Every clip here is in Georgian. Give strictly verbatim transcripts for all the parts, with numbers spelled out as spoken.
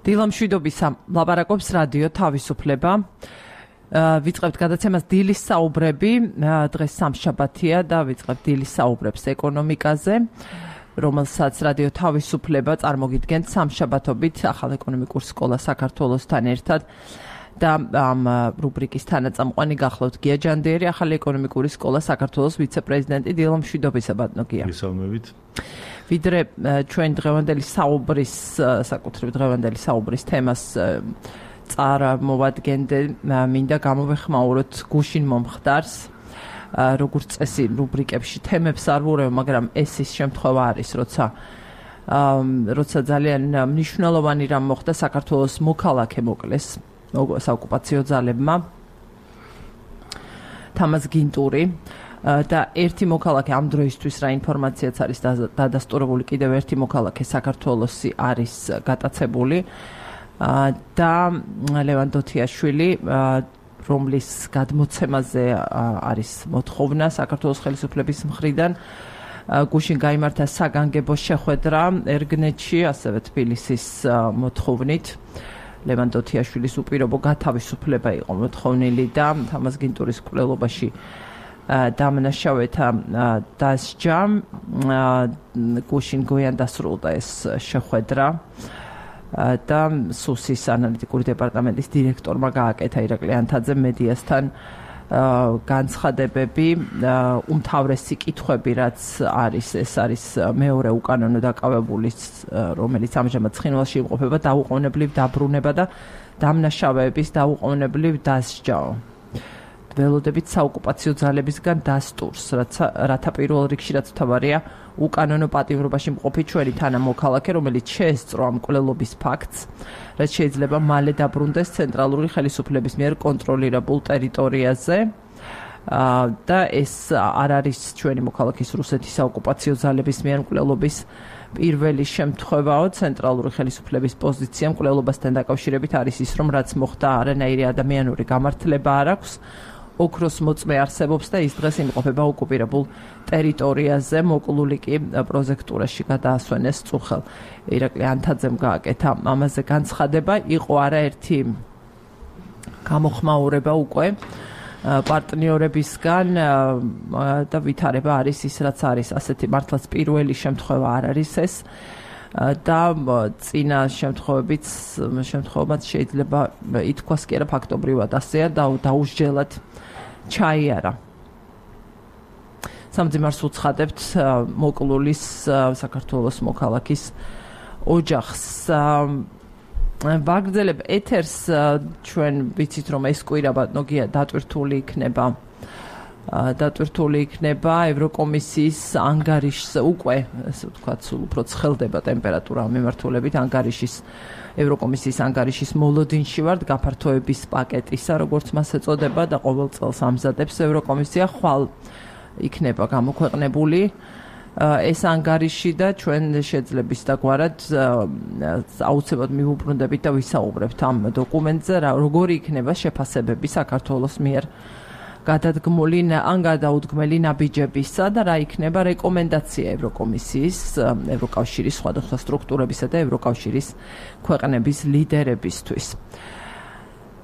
დილამშვიდობისა ლაპარაკობს რადიო თავისუფლება. ვიწყებთ გადაცემას დილის საუბრები. დღეს სამშაბათია და ვიწყებთ დილის საუბრებს ეკონომიკაზე, რომელსაც რადიო თავისუფლება წარმოგიდგენთ სამშაბათობით ახალ ეკონომიკურ სკოლა საქართველოსთან ერთად. და ამ რუბრიკის თანაწამყვანი გახლავთ გია ჯანდიერი, ახალი ეკონომიკური სკოლა საქართველოს ვიცე-პრეზიდენტი. დილამშვიდობისა ბატონო გია. მოგესალმებით. ვიდრე ჩვენ დღევანდელი საუბრის, საკუთრივ დღევანდელი საუბრის თემას წარმოვადგენდე, მინდა გამოვეხმაუროთ გუშინ მომხდარს, როგორც წესი რუბრიკებში თემებს არ ვურევ, მაგრამ ეს ის შემთხვევა არის, როცა როცა ძალიან მნიშვნელოვანი რამ მოხდა საქართველოს მოქალაქე მოკლეს საოკუპაციო ძალებმა, თამაზ გინტური და ერთი მოქალაქე ამ დროისთვის რა ინფორმაციაც არის დადასტურებული, კიდევ ერთი მოქალაქე საქართველოსი არის გატაცებული და ლევან დოთიაშვილი, რომლის გადმოცემაზე არის მოთხოვნა საქართველოს ხელისუფლების მხრიდან. გუშინ გაიმართა საგანგებო შეხვედრა ერგნეთში, ასევე თბილისის მოთხოვნით. ლევან დოთიაშვილის უპირობო გათავისუფლება იყო მოთხოვნილი და თამაზ გინტურის მკვლელობაში დამნაშავეთა დასჯა. გუშინ გვიან დასრულდა ეს შეხვედრა და სუსის ანალიტიკური დეპარტამენტის დირექტორმა გააკეთა ირაკლი ანთაძემ მედიასთან განცხადებები, უმთავრესი კითხვები, რაც არის, ეს არის მეორე უკანონო დაკავებულის, რომელიც ამჟამად ცხინვალში იმყოფება, დაუყოვნებლივ დაბრუნება და დამნაშავეების დაუყოვნებლივ დასჯაო. ველოდებით საოკუპაციო ძალებისგან დასტურს, რათა პირველ რიგში რაც მთავარია, უკანონო პატიმრობაში მყოფი ჩვენი თანამოქალაქე, რომელიც შეესწრო ამ მკვლელობის ფაქტს, რაც შეიძლება მალე დაბრუნდეს ცენტრალური ხელისუფლების მიერ კონტროლირებულ ტერიტორიაზე და ეს არ არის ჩვენი მოქალაქის რუსეთის საოკუპაციო ძალების მიერ მკვლელობის პირველი შემთხვევაო. ცენტრალური ხელისუფლების პოზიცია მკვლელობასთან დაკავშირებით არის ის, რომ რაც მოხდა არანაირი ადამიანური გამართლება არ აქვს, ოქროს მოწმე არსებობს და ის დღეს იმყოფება ოკუპირებულ ტერიტორიაზე. მოკლული კი პროზექტურაში გადაასვენეს წუხელ ირაკლი ანთაძემ გააკეთა ამაზე განცხადება. იყო არაერთი გამოხმაურება უკვე პარტნიორებისგან და ვითარება არის ის, რაც არის. ასეთი მართლაც პირველი შემთხვევა არ არის ეს და წინა შემთხვევებიც შემთხვევებაც შეიძლება ითქვას კი არა ფაქტობრივად ასეა და დაუსჯელად ჩაიარა. სამძიმარს უცხადებთ მოკლულის საქართველოს მოქალაქის ოჯახს. ვაგრძელებ ეთერს, ჩვენ ვიცით რომ ეს კვირა ბატონო გია დატვირთული იქნება დატვირთული იქნება ევროკომისიის ანგარიშს, უკვე ესე ვთქვათ, სულ უფრო ცხელდება ტემპერატურა მიმართულებით ანგარიშის ევროკომისიის ანგარიშის მოლოდინში ვართ, გაფართოების პაკეტისა, როგორც მას ეწოდება და ყოველ წელს ამზადებს ევროკომისია, ხვალ იქნება გამოქვეყნებული ეს ანგარიში და ჩვენ შეძლების დაგვარად აუცილებლად მივუბრუნდებით და ვისაუბრებთ ამ დოკუმენტზე, როგორი იქნება შეფასებები საქართველოს მიერ გადადგმული ან გადაუდგმელი ნაბიჯებისა და რა იქნება რეკომენდაცია ევროკომისიის, ევროკავშირის სხვადასხვა სტრუქტურებისა და ევროკავშირის ქვეყნების ლიდერებისთვის.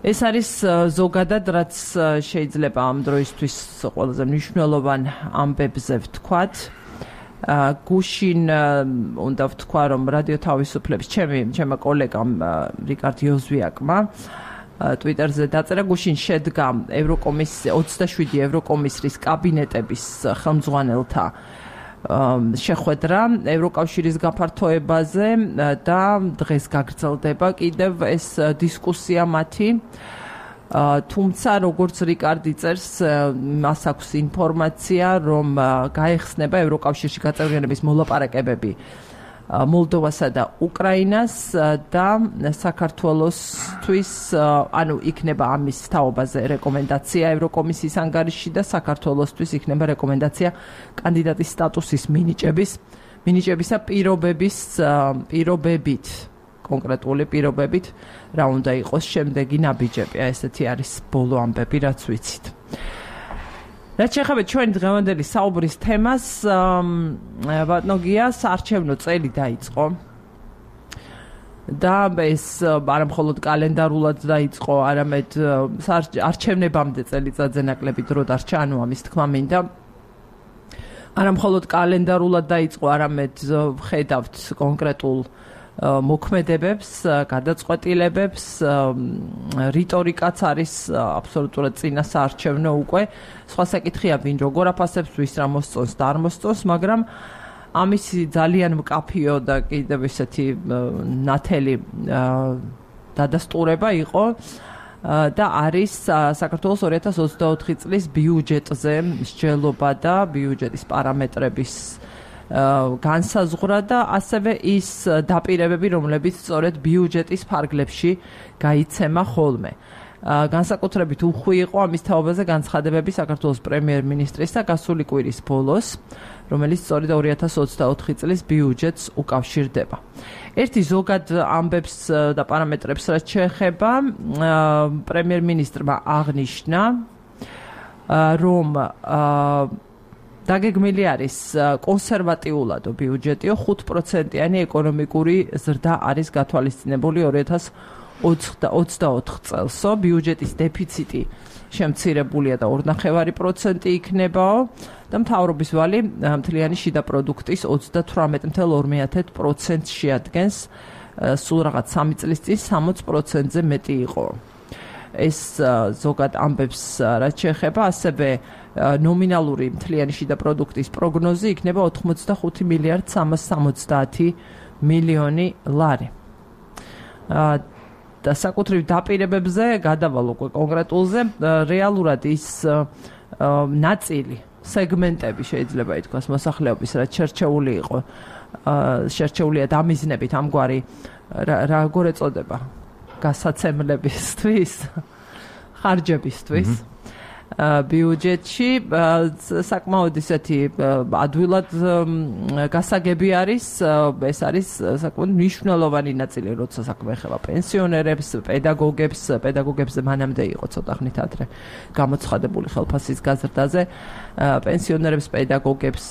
ეს არის ზოგადად, რაც შეიძლება ამ დროისთვის ყველაზე მნიშვნელოვან ამბებზე ვთქვათ. გუშინ უნდა ვთქვა, რომ რადიო თავისუფლების ჩემი ჩემმა კოლეგამ რიკარდ იოზვიაკმა ტვიტერზე დაწერა, გუშინ შედგა ევროკომისიის ოცდაშვიდი ევროკომისრის კაბინეტების ხელმძღვანელთა შეხვედრა ევროკავშირის გაფართოებაზე და დღეს გაგრძელდება კიდევ ეს დისკუსია მათი. თუმცა როგორც რიკარდი წერს, მას აქვს ინფორმაცია, რომ გაეხსნება ევროკავშირში გაწევრიანების მოლაპარაკებები მოლდოვასა და უკრაინას და საქართველოსთვის, ანუ იქნება ამის თაობაზე რეკომენდაცია ევროკომისიის ანგარიში და საქართველოსთვის იქნება რეკომენდაცია კანდიდატის სტატუსის მინიჭების მინიჭებისა პირობების პირობებით, კონკრეტული პირობებით, რა უნდა იყოს შემდეგი ნაბიჯები. ესეთი არის ბოლო ამბები, რაც ვიცით. რაც შეეხება ჩვენ დღევანდელი საუბრის თემას, ბატონო გია, საარჩევნო წელი დაიწყო. და ეს არა მხოლოდ კალენდარულად დაიწყო, არამედ არჩევნებამდე წელიწადზე ნაკლები დრო დარჩა, ანუ ამის თქმა მინდა. არა მხოლოდ კალენდარულად დაიწყო, არამედ ხედავთ კონკრეტულ მოქმედებებს, გადაწყვეტილებებს, რიტორიკაც არის აბსოლუტურად წინასაარჩევნო უკვე. სხვა საკითხია, ვინ როგორ აფასებს, ვის რა მოსწონს და არ მოსწონს, მაგრამ ამის ძალიან მკაფიო და კიდევ ისეთი ნათელი დადასტურება იყო და არის საქართველოს ორი ათას ოცდაოთხი წლის ბიუჯეტზე მსჯელობა და ბიუჯეტის პარამეტრების განსაზღვრა და ასევე ის დაპირებები, რომლებიც სწორედ ბიუჯეტის ფარგლებში გაიცემა ხოლმე. განსაკუთრებით უხვი იყო ამის თაობაზე განცხადებები საქართველოს პრემიერ-მინისტრის და გასული კვირის ბოლოს, რომელიც სწორედ ორი ათას ოცდაოთხი წლის ბიუჯეტს უკავშირდება. ერთი ზოგად ამბებს და პარამეტრებს რაც შეეხება, პრემიერ-მინისტრმა აღნიშნა, რომ დაგეგმილი არის კონსერვატიულადო ბიუჯეტიო ხუთ პროცენტიანი ეკონომიკური ზრდა არის გათვალისწინებული ორი ათას ოცდაოთხ წელსო, ბიუჯეტის დეფიციტი შემცირებულია და ორი ნახევარი პროცენტი იქნებაო და მთავრობის ვალი მთლიანი შიდა პროდუქტის ოცდათვრამეტ მცდარ ორ პროცენტს შეადგენს, სულ რაღაც სამი წლის წინ სამოცი პროცენტზე მეტი იყო. ეს ზოგად ამბებს რაც შეეხება, ასევე ნომინალური მთლიანი შიდა პროდუქტის პროგნოზი იქნება ოთხმოცდახუთი მილიარდ სამას სამოცდაათი მილიონი ლარი. და საკუთრივ დაპირებებზე გადავალ უკვე კონკრეტულზე, რეალურად ის ნაწილი, სეგმენტები შეიძლება ითქვას მოსახლეობის, რაც შერჩეული იყო, შერჩეულია დამიზნებით ამგვარი როგორ ეწოდება, გასაცემლებისთვის, ხარჯებისთვის. ბიუჯეტში საკმაოდ ისეთი ადვილად გასაგები არის, ეს არის საკმაოდ მნიშვნელოვანი ნაწილი, როცა საქმე ეხება პენსიონერებს, პედაგოგებს, პედაგოგებზე მანამდე იყო ცოტა ხნით ადრე გამოცხადებული ხელფასის გაზრდაზე, პენსიონერებს, პედაგოგებს,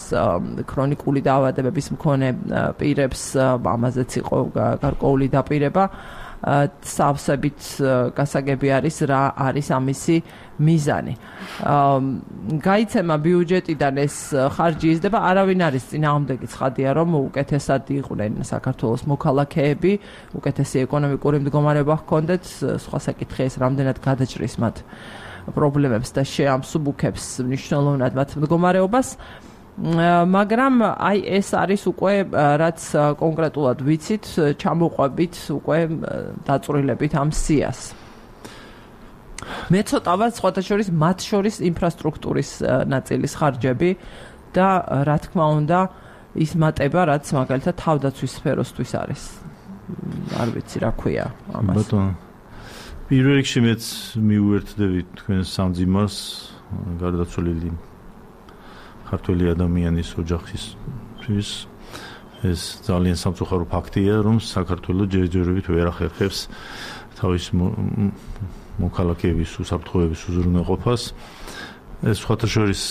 ქრონიკული დაავადებების მქონე პირებს, ამაზეც იყო გარკვეული დაპირება. სავსებით გასაგები არის რა არის ამისი მიზანი. გაიცემა ბიუჯეტიდან ეს ხარჯი იზრდება, არავინ არის წინააღმდეგი ცხადია, რომ უკეთესად იყვნენ საქართველოს მოქალაქეები, უკეთესი ეკონომიკური მდგომარეობა ჰქონდეთ, სხვა საკითხია ეს რამდენად გადაჭრის მათ პრობლემებს და შეამსუბუქებს მნიშვნელოვნად მათ მდგომარეობას. მაგრამ აი ეს არის უკვე რაც კონკრეტულად ვიცით, ჩამოყვებით უკვე დაწვრილებით ამ სიას. მე ცოტა სხვათა შორის მათ შორის ინფრასტრუქტურის ნაწილის ხარჯები და რა თქმა უნდა ის მატება, რაც მაგალითად თავდაცვის სფეროსთვის არის. არ ვიცი რა ქვია ამას. ბატონო, პირველ რიგში მეც მიუერთდები თქვენს სამძიმარს, გარდაცვლილი ქართველი ადამიანის ოჯახისთვის ეს ძალიან სამწუხარო ფაქტია, რომ საქართველოს ჯერჯერობით ვერ ახერხებს თავის მოქალაქეების უსაფრთხოების უზრუნველყოფას. ეს სხვათა შორის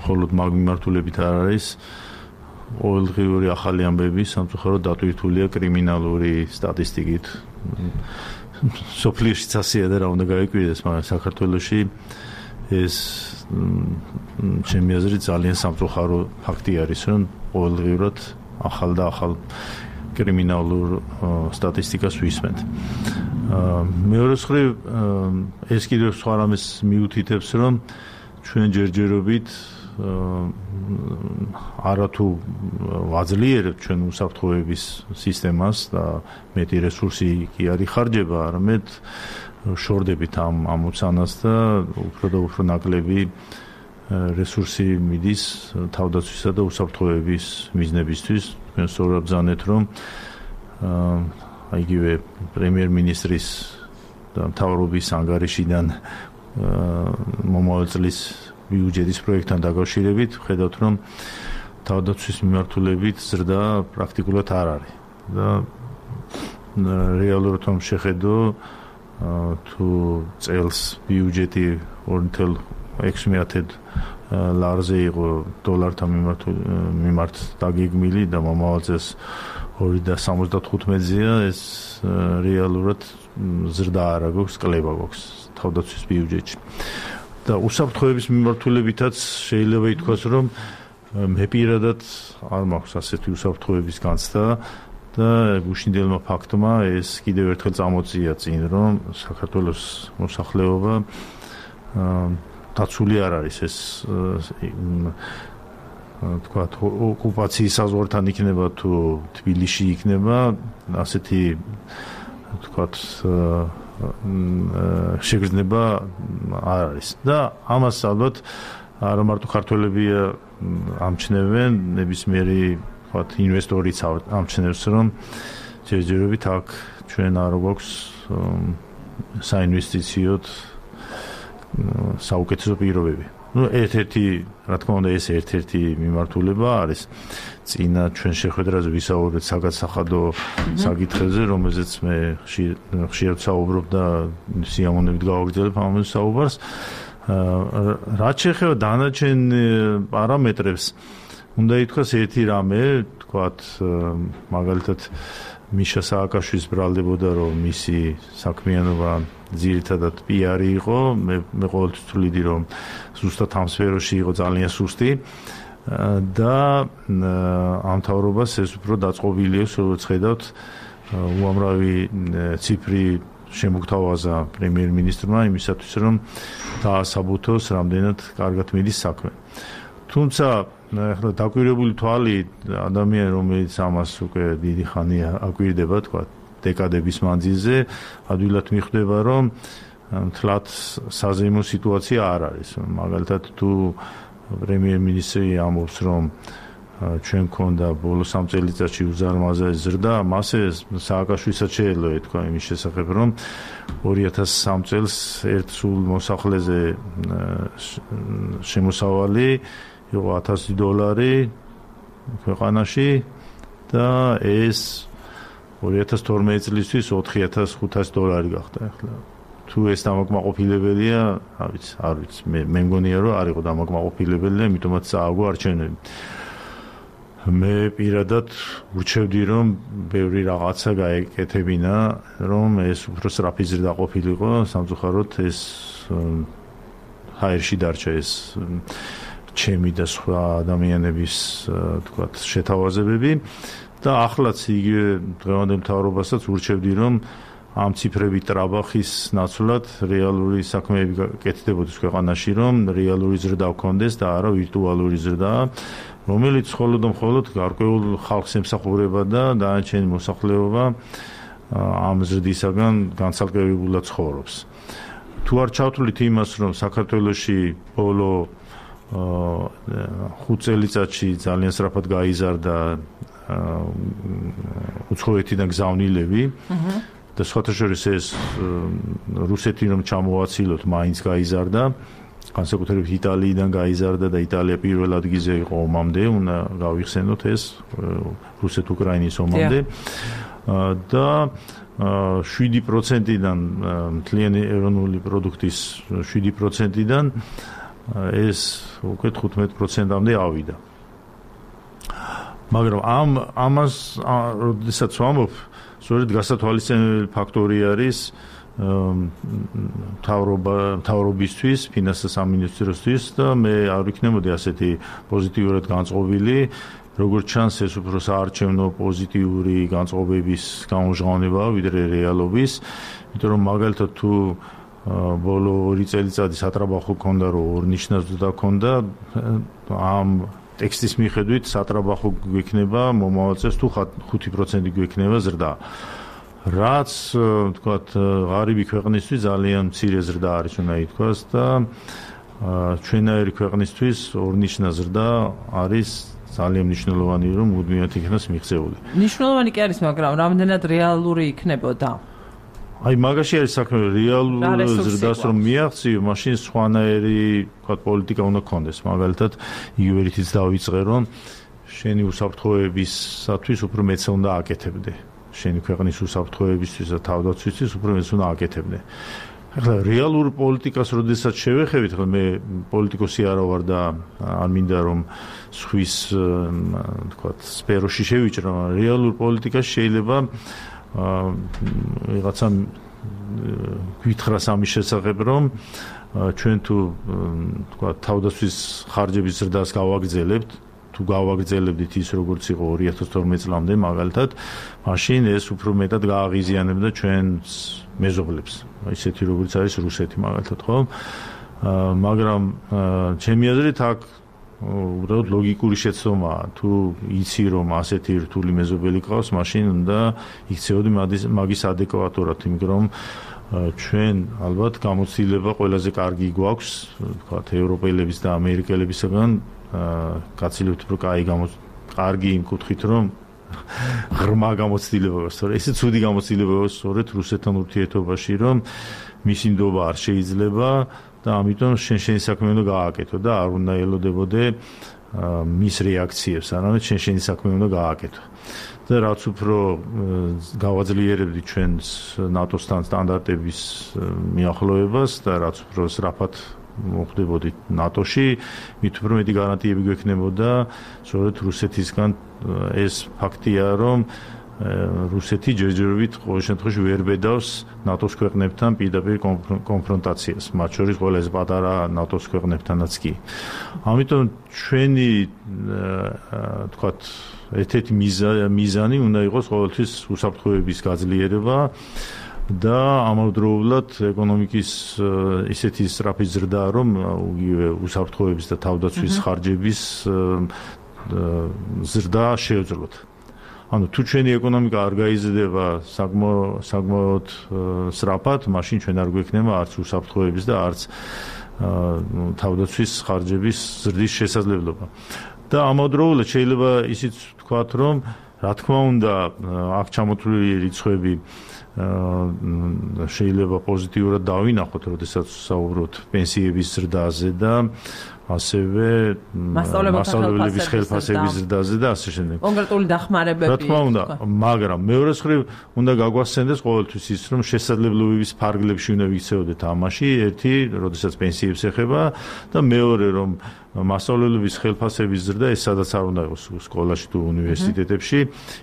მხოლოდ მაგ მიმართულებით არ არის, ყოველდღიური ახალი ამბები სამწუხაროდ დატვირთულია კრიმინალური სტატისტიკით. სოფლიოში ასეა და რა უნდა გაიკვირდეს, მაგრამ საქართველოში ეს ჩემი აზრით ძალიან სამწუხარო ფაქტი არის, რომ ყოველდღიურად ახალ და ახალ კრიმინალურ სტატისტიკას ვისმენთ. მეორე მხრივ ეს კიდევ სხვა რამეს მიუთითებს, რომ ჩვენ ჯერჯერობით არათუ ვაძლიერებთ ჩვენ უსაფრთხოების სისტემას და მეტი რესურსი კი არ იხარჯება, არამედ შორდებით ამ ამოცანას და უფრო და უფრო ნაკლები რესურსი მიდის თავდაცვისა და უსაფრთხოების მიზნებისთვის. თქვენ სწორად ბრძანეთ, რომ აიგივე პრემიერ-მინისტრის და მთავრობის ანგარიშიდან მომავალ წლის ბიუჯეტის პროექტთან დაკავშირებით ხედავთ, რომ თავდაცვის მიმართულებით ზრდა პრაქტიკულად არ არის და რეალურად რომ შეხედო თუ წელს ბიუჯეტი ორი ნული ექვსი ლარზე იყო დოლართან მიმართ დაგეგმილი და მომავალ წელს ორი და სამოცდათხუთმეტია ეს რეალურად ზრდა არა გვაქვს, კლება გვაქვს თავდაცვის ბიუჯეტში. და უსაფრთხოების მიმართულებითაც შეიძლება ითქვას, რომ მე პირადად არ მაქვს ასეთი უსაფრთხოების განცდა და გუშინდელმა ფაქტმა ეს კიდევ ერთხელ წამოწია წინ, რომ საქართველოს მოსახლეობა დაცული არ არის ეს თქვა ოკუპაციის საზღვართან იქნება თუ თბილისში იქნება ასეთი თქვა შეგრძნება არ არის და ამას ალბათ არა მარტო ქართველები ამჩნევენ ნებისმიერი თქვა ინვესტორიც ამჩნევს რომ ჯერჯერობით აქ ჩვენ არ გვაქვს საინვესტიციოდ საუკეთესო პირობები. Ну, ერთ-ერთი, რა თქმა უნდა, ეს ერთ-ერთი მიმართულება არის. წინა ჩვენ შეხვედრაზე ვისაუბრეთ საგადსახადო საკითხებზე, რომელზეც მე ხშირად საუბრობ და სიამოვნებით გავაგრძელებ ამ საუბარს. რაც შეეხება დანარჩენ პარამეტრებს, უნდა ითქვას ერთი რამე, თქვათ, მაგალითად მიშა სააკაშვილის ბრალდებოდა, რომ მისი საქმიანობა ძირითადად პიარი იყო, მე მე ყოველთვის ვთვლიდი, რომ ზუსტად ამ სფეროში იყო ძალიან სუსტი და ამ მთავრობას ეს უფრო დაწყობილი აქვს, როგორც ხედავთ, უამრავი ციფრი შემოგთავაზა პრემიერ-მინისტრმა იმისათვის, რომ დაასაბუთოს რამდენად კარგად მიდის საქმე. თუმცა ახლა დაკვირვებული თვალი ადამიანი, რომელიც ამას უკვე დიდი ხანია აკვირდება, თქვა დეკადების მანძილზე, ადვილად მიხვდება, რომ თლათ საზეიმო სიტუაცია არ არის. მაგალითად, თუ პრემიერ-მინისტრი ამბობს, რომ ჩვენ ქონდა ბოლო სამ წელიწადში უზარმაზარი ზრდა, მასე სააკაშვილისაც შეეძლო ეთქვა იმის შესახებ, რომ ორი ათას სამ წელს ერთ სულ მოსახლეზე შემოსავალი იყო ათასი დოლარი ქვეყანაში და ეს ორი ათას თორმეტი წლისთვის ოთხი ათას ხუთასი დოლარი გახდა ახლა. თუ ეს დამაკმაყოფილებელია, არ ვიცი, არ ვიცი. მე მე მგონია, რომ არ იყო დამაკმაყოფილებელი, ამიტომაც წააგო არჩევნები. მე პირადად ურჩევდი, რომ ბევრი რაღაცა გაეკეთებინა, რომ ეს უფრო სწრაფი ზრდა ყოფილიყო, სამწუხაროდ ეს ჰაერში დარჩა ეს ჩემი და სხვა ადამიანების თქვათ შეთავაზებები და ახლაც იგივე დღევანდელ მთავრობასაც ურჩევდი, რომ ამ ციფრებით ტრაბახის ნაცვლად რეალური საქმეები გაკეთდებოდეს ქვეყანაში, რომ რეალური ზრდა გქონდეს და არა ვირტუალური ზრდა, რომელიც მხოლოდ და მხოლოდ გარკვეულ ხალხს ემსახურება და დანარჩენი მოსახლეობა ამ ზრდისაგან განცალკევებულად ცხოვრობს. თუ არ ჩავთვლით იმას, რომ საქართველოში ბოლო ხუთ წელიწადში ძალიან სწრაფად გაიზარდა უცხოეთიდან გზავნილები და სხვათა შორის ეს რუსეთი რომ ჩამოვაცილოთ, მაინც გაიზარდა, განსაკუთრებით იტალიიდან გაიზარდა და იტალია პირველ ადგილზე იყო ომამდე, უნდა გავიხსენოთ ეს რუსეთ-უკრაინის ომამდე და შვიდი პროცენტიდან მთლიანი ეროვნული პროდუქტის შვიდი პროცენტიდან ეს უკვე თხუთმეტ პროცენტამდე ავიდა. მაგრამ ამ ამას როდესაც ვამბობ, სწორედ გასათვალისწინებელი ფაქტორი არის მთავრობა მთავრობისთვის, ფინანსთა სამინისტროსთვის და მე არ ვიქნებოდი ასეთი პოზიტიურად განწყობილი, როგორც ჩანს ეს უფრო საარჩევნო პოზიტიური განწყობების გამჟღავნებაა, ვიდრე რეალობის, იმიტომ რომ მაგალითად თუ ბოლო ორი წელიწადი სატრაბახო ქონდა, რომ ორნიშნა ზრდა ქონდა, ამ ტექსტის მიხედვით სატრაბახო გვექნება მომავალ წელს თუ ხუთი პროცენტი გვექნება ზრდა. რაც თქვათ ღარიბი ქვეყნისთვის ძალიან მცირე ზრდა არის, უნდა ითქვას და ჩვენაირი ქვეყნისთვის ორნიშნა ზრდა არის ძალიან მნიშვნელოვანი, რომ მუდმივად იქნას მიღწეული. მნიშვნელოვანი კი არის, მაგრამ რამდენად რეალური იქნებოდა? აი მაგაში არის საქმე, რეალურ ზრდას რომ მიაღწიო, მაშინ სხვანაირი თქვათ პოლიტიკა უნდა გქონდეს. მაგალითად, იგივე რითიც დავიწყე, რომ შენი უსაფრთხოებისათვის უფრო მეც უნდა აკეთებდე. შენი ქვეყნის უსაფრთხოებისთვის და თავდაცვისთვის უფრო მეც უნდა აკეთებდე. ახლა რეალურ პოლიტიკას როდესაც შევეხებით, ხო მე პოლიტიკოსი არა ვარ და არ მინდა რომ სხვის თქვათ სფეროში შევიჭრა, რეალურ პოლიტიკას შეიძლება ვიღაცა გითხრას ამის შესახებ, რომ ჩვენ თუ თქვათ თავდაცვის ხარჯების ზრდას გავაგრძელებთ, თუ გავაგრძელებდით ის როგორც იყო ორი ათას თორმეტ წლამდე მაგალითად, მაშინ ეს უფრო მეტად გააღიზიანებდა ჩვენს მეზობლებს, ისეთი როგორც არის რუსეთი მაგალითად, ხო? მაგრამ ჩემი აზრით აქ უბრალოდ ლოგიკური შეცდომაა, თუ იცი რომ ასეთი რთული მეზობელი ყავს, მაშინ უნდა იქცეოდი მაგის ადეკვატურად, იმიტომ რომ ჩვენ ალბათ გამოცდილება ყველაზე კარგი გვაქვს, ვთქვათ, ევროპელების და ამერიკელებისგან გაცილებთ უფრო კაი კარგი იმ კუთხით, რომ ღრმა გამოცდილება გვაქვს, სწორედ ესე ცუდი გამოცდილება გვაქვს სწორედ რუსეთთან ურთიერთობაში, რომ მისი ნდობა არ შეიძლება და ამიტომ შენ შენი საქმე უნდა გააკეთო და არ უნდა ელოდებოდე მის რეაქციებს, არამედ შენ შენი საქმე უნდა გააკეთო. და რაც უფრო გავაძლიერებდი ჩვენს ნატოსთან სტანდარტების მიახლოებას და რაც უფრო სწრაფად მოხდებოდი ნატოში, მით უფრო მეტი გარანტიები გვექნებოდა სწორედ რუსეთისგან ეს ფაქტია, რომ რუსეთი ჯერჯერობით ყოველ შემთხვევაში ვერ ბედავს ნატოს ქვეყნებთან პირდაპირ კონფრონტაციას, მათ შორის ყველაზე პატარა ნატოს ქვეყნებთანაც კი. ამიტომ ჩვენი თქვათ ერთ-ერთი მიზანი უნდა იყოს ყოველთვის უსაფრთხოების გაძლიერება და ამავდროულად ეკონომიკის ისეთი სწრაფი ზრდა, რომ იგივე უსაფრთხოების და თავდაცვის ხარჯების ზრდა შეეძლოთ. ანუ თუ ჩვენი ეკონომიკა არ გაიზრდება საკმაოდ სწრაფად, მაშინ ჩვენ არ გვექნება არც უსაფრთხოების და არც თავდაცვის ხარჯების ზრდის შესაძლებლობა. და ამავდროულად შეიძლება ისიც ვთქვათ, რომ რა თქმა უნდა აქ ჩამოთვლილი რიცხვები შეიძლება პოზიტიურად დავინახოთ, როდესაც საუბრობთ პენსიების ზრდაზე და ასევე მასწავლებლების ხელფასების ზრდაზე და ასე შემდეგ. კონკრეტული დახმარებები. რა თქმა უნდა, მაგრამ მეორე მხრივ უნდა გაგვასცენდეს ყოველთვის ის, რომ შესაძლებლობების ფარგლებში უნდა ვიქცეოდეთ ამაში, ერთი, როდესაც პენსიებს ეხება და მეორე, რომ მასწავლებლების ხელფასების ზრდა ეს სადაც არ უნდა იყოს სკოლაში თუ უნივერსიტეტებში,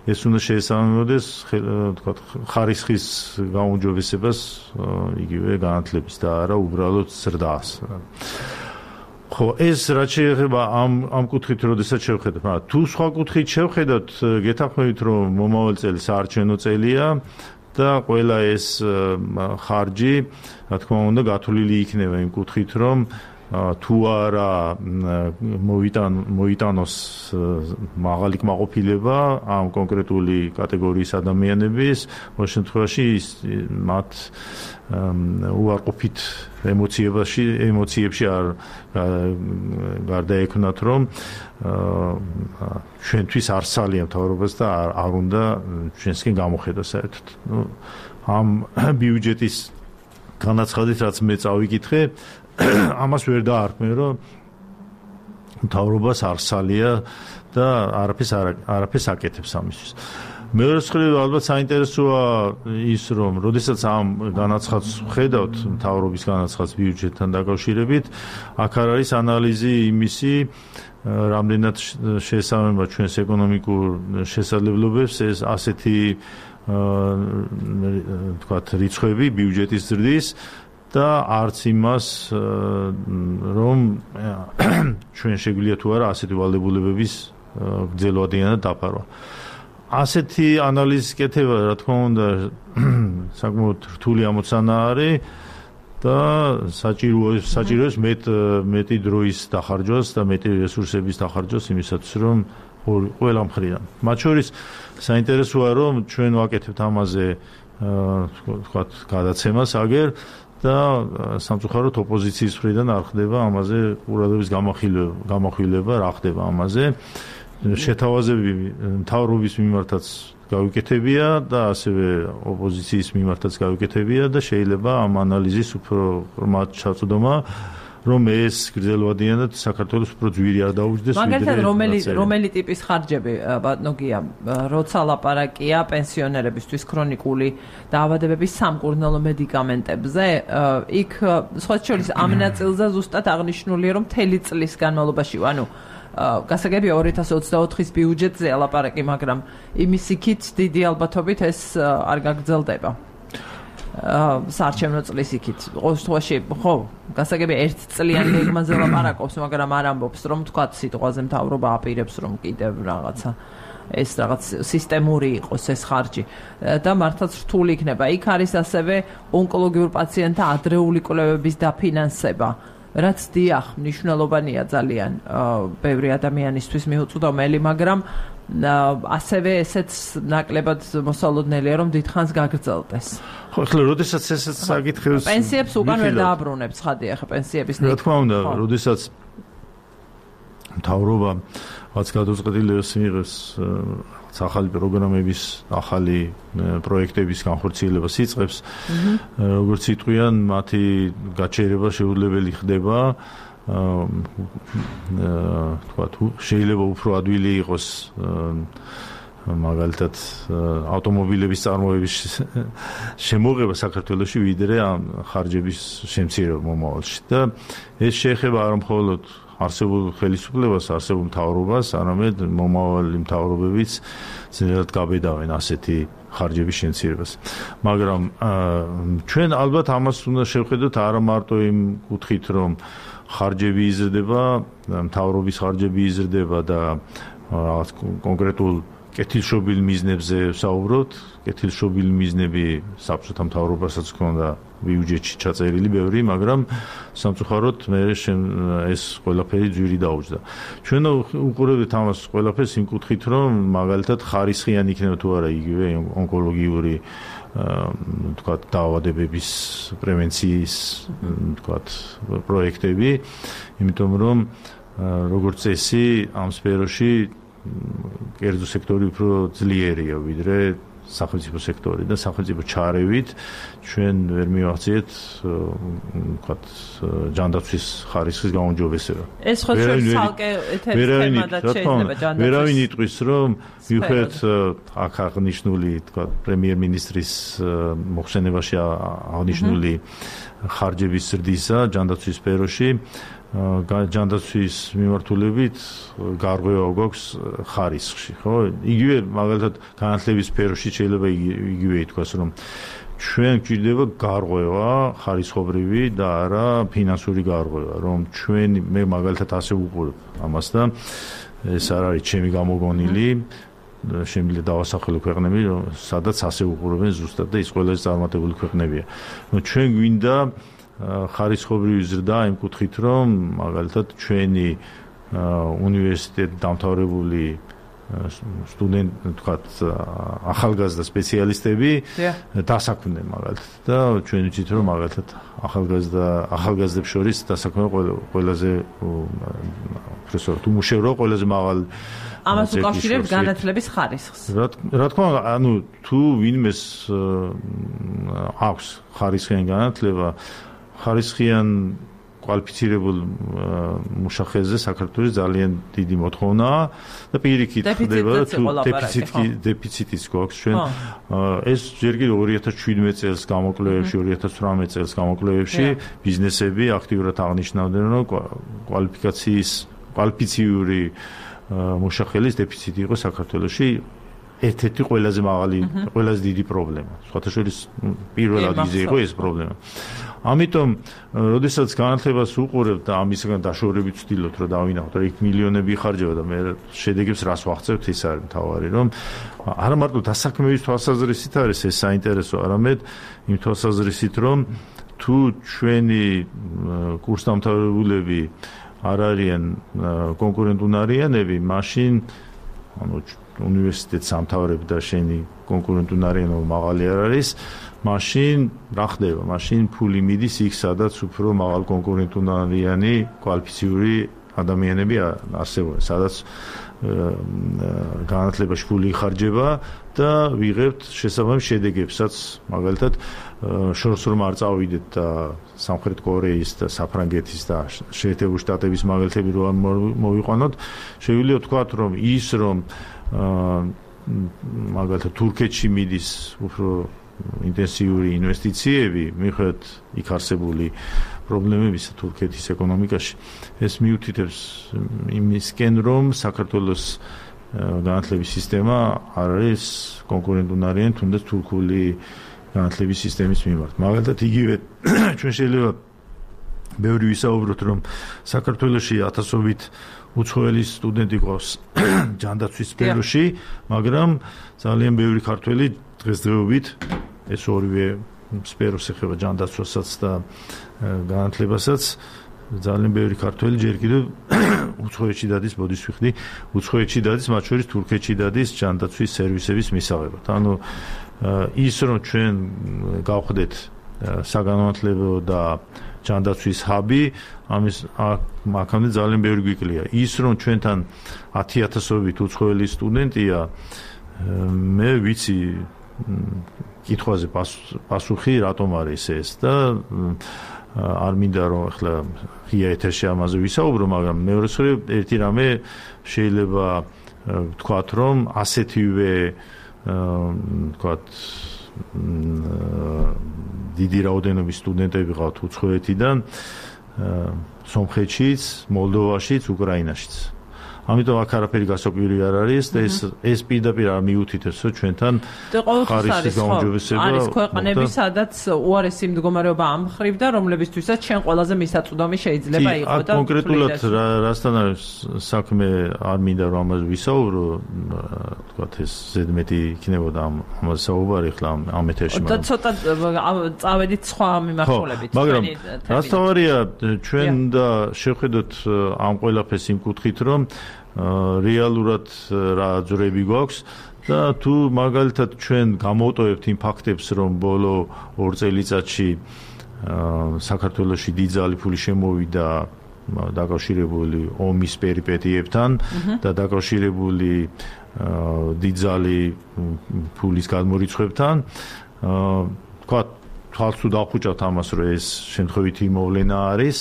ეს უნდა შეესაბამებოდეს თქვათ ხარისხის გაუმჯობესებას იგივე განათლების და არა უბრალოდ ზრდას. ხო, ეს რაც შეეხება ამ ამ კუთხით, როდესაც შევხედოთ, მაგრამ თუ სხვა კუთხით შევხედოთ, გეთანხმებით, რომ მომავალ წელი საარჩევნო წელია და ყველა ეს ხარჯი, რა თქმა უნდა, გათვლილი იქნება იმ კუთხით, რომ თუ არა მოიტან მოიტანოს მაღალი კმაყოფილება ამ კონკრეტული კატეგორიის ადამიანების, ყოველ შემთხვევაში მათ უარყოფით ემოციებში ემოციებში არ გარდაექმნათ, რომ ჩვენთვის არ სალია მთავრობას და არ უნდა ჩვენსკენ გამოხედოს საერთოდ. ამ ბიუჯეტის განაცხადით, რაც მე წავიკითხე, ამას ვერ დაარქმევ, რომ მთავრობას არ სალია და არაფერს არაფერს აკეთებს ამისთვის. მეორე მხრივ ალბათ საინტერესოა ის, რომ როდესაც ამ განაცხადს ვხედავთ, მთავრობის განაცხადს ბიუჯეტთან დაკავშირებით, აქ არის ანალიზი იმისი, რამდენად შეესაბამება ჩვენს ეკონომიკურ შესაძლებლობებს ეს ასეთი თქვათ რიცხვები ბიუჯეტის ზრდის და არც იმას, რომ ჩვენ შეგვიძლია თუ არა ასეთი ვალდებულებების გრძელვადიანად დაფარვა. ასეთი ანალიზის კეთება, რა თქმა უნდა, საკმაოდ რთული ამოცანა არის და საჭიროა საჭიროა მეტ მეტი დროის დახარჯვას და მეტი რესურსების დახარჯვას იმისათვის, რომ ყველა მხრიდან. მათ შორის საინტერესოა, რომ ჩვენ ვაკეთებთ ამაზე თქვათ გადაცემას აგერ და სამწუხაროდ ოპოზიციის მხრიდან არ ხდება ამაზე ყურადღების გამახვილება, რა ხდება ამაზე. შეთავაზები მთავრობის მიმართაც გავიკეთებია და ასევე ოპოზიციის მიმართაც გავიკეთებია და შეიძლება ამ ანალიზის უფრო ღრმად ჩაწვდომა რომ ეს გრძელვადიანად საქართველოს უფრო ძვირი არ დაუჯდეს ვიდრე მაგალითად რომელი რომელი ტიპის ხარჯები ბატონო გია როცა ლაპარაკია პენსიონერებისთვის ქრონიკული დაავადებების სამკურნალო მედიკამენტებზე იქ სხვა შორის ამ ნაწილზე ზუსტად აღნიშნულია რომ მთელი წლის განმავლობაში ანუ გასაგებია ორი ათას ოცდაოთხის ბიუჯეტზე ლაპარაკი მაგრამ იმის იქით დიდი ალბათობით ეს არ გაგრძელდება საარჩევნო წლის იქით ყოველ შემთხვევაში ხო გასაგებია ერთ წლიან გეგმაზე ლაპარაკობს მაგრამ არ ამბობს რომ თქვა სიტყვაზე მთავრობა აპირებს რომ კიდევ რაღაცა ეს რაღაც სისტემური იყოს ეს ხარჯი და მართლაც რთული იქნება იქ არის ასევე ონკოლოგიურ პაციენტთა ადრეული კვლევების დაფინანსება რაც დიახ მნიშვნელოვანია ძალიან ბევრი ადამიანისთვის მიუწვდომელი მაგრამ ასევე ესეც ნაკლებად მოსალოდნელია რომ დიდხანს გაგრძელდეს ხო ახლა როდესაც ესეც საკითხებს პენსიებს უკან ვერ დააბრუნებს ხადია ხა პენსიების რა თქმა უნდა როდესაც მთავრობა რაც გადაწყვეტილებას მიიღებს ახალი პროგრამების ახალი პროექტების განხორციელებას იწყებს როგორც იტყვიან მათი გაჩერება შეუძლებელი ხდება თქვა თუ შეიძლება უფრო ადვილი იყოს მაგალითად ავტომობილების წარმოების შემოღება საქართველოში ვიდრე ამ ხარჯების შემცირება მომავალში და ეს შეეხება არა მხოლოდ არსებულ ხელისუფლებას, არსებულ მთავრობას, არამედ მომავალი მთავრობებიც ძნელად გაბედავენ ასეთი ხარჯების შემცირებას. მაგრამ ჩვენ ალბათ ამას უნდა შევხედოთ არა მარტო იმ კუთხით, რომ ხარჯები იზრდება, მთავრობის ხარჯები იზრდება და რაღაც კონკრეტულ კეთილშობილ მიზნებზე ვსაუბრობთ. კეთილშობილ მიზნები საბჭოთა მთავრობასაც ჰქონდა ბიუჯეტში ჩაწერილი ბევრი, მაგრამ სამწუხაროდ მე ეს ყველაფერი ძვირი დაუჯდა. ჩვენ უყურებთ ამას ყველაფერს იმ კუთხით, რომ მაგალითად ხარისხიანი იქნება თუ არა იგივე ონკოლოგიური თქვა დაავადებების პრევენციის თქვა პროექტები, იმიტომ რომ როგორც წესი ამ სფეროში კერძო სექტორი უფრო ძლიერია ვიდრე სახელმწიფო სექტორი და სახელმწიფო ჩარევით ჩვენ ვერ მივახციეთ ვთქვათ ჯანდაცვის ხარისხის გაუმჯობესება. ეს ხო ჩვენ ცალკე თემა და შეიძლება ჯანდაცვის. ვერავინ იტყვის რომ მიუხედავად აქ აღნიშნული ვთქვათ პრემიერ-მინისტრის მოხსენებაში აღნიშნული ხარჯების ზრდისა ჯანდაცვის სფეროში ჯანდაცვის მიმართულებით გარღვევა გვაქვს ხარისხში, ხო? იგივე მაგალითად განათლების სფეროში შეიძლება იგივე ითქვას, რომ ჩვენ გვჭირდება გარღვევა ხარისხობრივი და არა ფინანსური გარღვევა, რომ ჩვენ მე მაგალითად ასე ვუყურებ ამას და ეს არ არის ჩემი გამოგონილი შემიძლია დავასახელო ქვეყნები, სადაც ასე უყურებენ ზუსტად და ის ყველაზე წარმატებული ქვეყნებია. ჩვენ გვინდა ხარისხობრივი ზრდა იმ კუთხით, რომ მაგალითად ჩვენი უნივერსიტეტ დამთავრებული სტუდენტ თქვათ ახალგაზრდა სპეციალისტები დასაქმდნენ მაგალითად და ჩვენ ვიცით რომ მაგალითად ახალგაზრდა ახალგაზრდებს შორის დასაქმება ყველაზე პროფესორ თუ მუშაობა ყველაზე მაღალი ამას უკავშირებს განათლების ხარისხს. რა თქმა უნდა, ანუ თუ ვინმეს აქვს ხარისხიანი განათლება ხარისხიან კვალიფიცირებულ მუშახელზე საქართველოს ძალიან დიდი მოთხოვნაა და პირიქით ხდება თუ დეფიციტი დეფიციტიც გვაქვს ჩვენ ეს ჯერ კიდევ ორი ათას შვიდმეტ წელს გამოკვლევებში ორი ათას ცხრამეტ წელს გამოკვლევებში ბიზნესები აქტიურად აღნიშნავდნენ რომ კვალიფიკაციის კვალიფიციური მუშახელის დეფიციტი იყო საქართველოში ერთ-ერთი ყველაზე მაღალი ყველაზე დიდი პრობლემა სხვათა შორის პირველ ადგილზე იყო ეს პრობლემა. ამიტომ, როდესაც განათლებას უყურებთ და ამისგან დაშორებით ვცდილობთ, რომ დავინახოთ, რომ იქ მილიონები იხარჯება და მე შედეგებს რას ვახცევთ, ის არის მთავარი, რომ არა მარტო დასაქმების თვალსაზრისით არის ეს საინტერესო, არამედ იმ თვალსაზრისით, რომ თუ ჩვენი კურსდამთავრებულები არ არიან კონკურენტუნარიანები, მაშინ ანუ უნივერსიტეტს ამთავრებ და შენი კონკურენტუნარიანობა მაღალი არ არის, მაშინ რა ხდება? მაშინ ფული მიდის იქ, სადაც უფრო მაღალ კონკურენტუნარიანი კვალიფიციური ადამიანები არსებობენ, სადაც განათლებაში ფული იხარჯება და ვიღებთ შესაბამის შედეგებსაც, მაგალითად შორს რომ არ წავიდეთ და სამხრეთ კორეის და საფრანგეთის და შეერთებული შტატების მაგალითები რომ მოვიყვანოთ, შეგვიძლია ვთქვათ, რომ ის რომ მაგალითად თურქეთში მიდის უფრო ინტენსიური ინვესტიციები, მიუხედავად იქ არსებული პრობლემებისა თურქეთის ეკონომიკაში, ეს მიუთითებს იმისკენ, რომ საქართველოს განათლების სისტემა არ არის კონკურენტუნარიანი თუნდაც თურქული განათლების სისტემის მიმართ. მაგალითად, იგივე ჩვენ შეიძლება ბევრი ვისაუბროთ, რომ საქართველოში ათასობით უცხოელი სტუდენტი ყავს ჯანდაცვის სფეროში, მაგრამ ძალიან ბევრი ქართველი დღესდღეობით ეს ორივე სფეროს ეხება ჯანდაცვასაც და განათლებასაც ძალიან ბევრი ქართველი ჯერ კიდევ უცხოეთში დადის, ბოდის ვიხდი, უცხოეთში დადის, მათ შორის თურქეთში დადის ჯანდაცვის სერვისების მისაღებად. ანუ ის რომ ჩვენ გავხდეთ საგანმანათლებლო და ჯანდაცვის ჰაბი, ამის აქამდე ძალიან ბევრი გვიკლია. ის რომ ჩვენთან ათი ათასობით უცხოელი სტუდენტია, მე ვიცი კითხვაზე პასუხი რატომ არის ეს და არ მინდა რომ ახლა ღია ეთერში ამაზე ვისაუბრო, მაგრამ მეორე მხრივ ერთი რამე შეიძლება ვთქვათ, რომ ასეთივე ვთქვათ დიდი რაოდენობის სტუდენტები ყავთ უცხოეთიდან, სომხეთშიც, მოლდოვაშიც, უკრაინაშიც. ამიტომ აქ არაფერი გასაკვირი არ არის და ეს ეს პირდაპირ არ მიუთითებს, რომ ჩვენთან ხარისხის გაუმჯობესება არის ქვეყნები, სადაც უარესი მდგომარეობა ამ მხრივ და რომლებისთვისაც ჩვენ ყველაზე მისაწვდომი შეიძლება იყოს და კონკრეტულად რასთან არის საქმე, არ მინდა რომ ამაზე ვისაუბრო, თქვათ ეს ზედმეტი იქნებოდა ამაზე საუბარი ხლა ამ ეთერში, მაგრამ და ცოტა წავედით სხვა მიმართულებით. მაგრამ რასთავარია, ჩვენ და შევხედოთ ამ ყველაფერს იმ კუთხით, რომ რეალურად რა ძრები გვაქვს და თუ მაგალითად ჩვენ გამოვტოვებთ იმ ფაქტებს, რომ ბოლო ორ წელიწადში საქართველოში დიდძალი ფული შემოვიდა დაკავშირებული ომის პერიპეტიებთან და დაკავშირებული დიდძალი ფულის გადმორიცხვებთან, თქვა თვალს თუ დავხუჭავთ ამას, რომ ეს შემთხვევითი მოვლენა არის,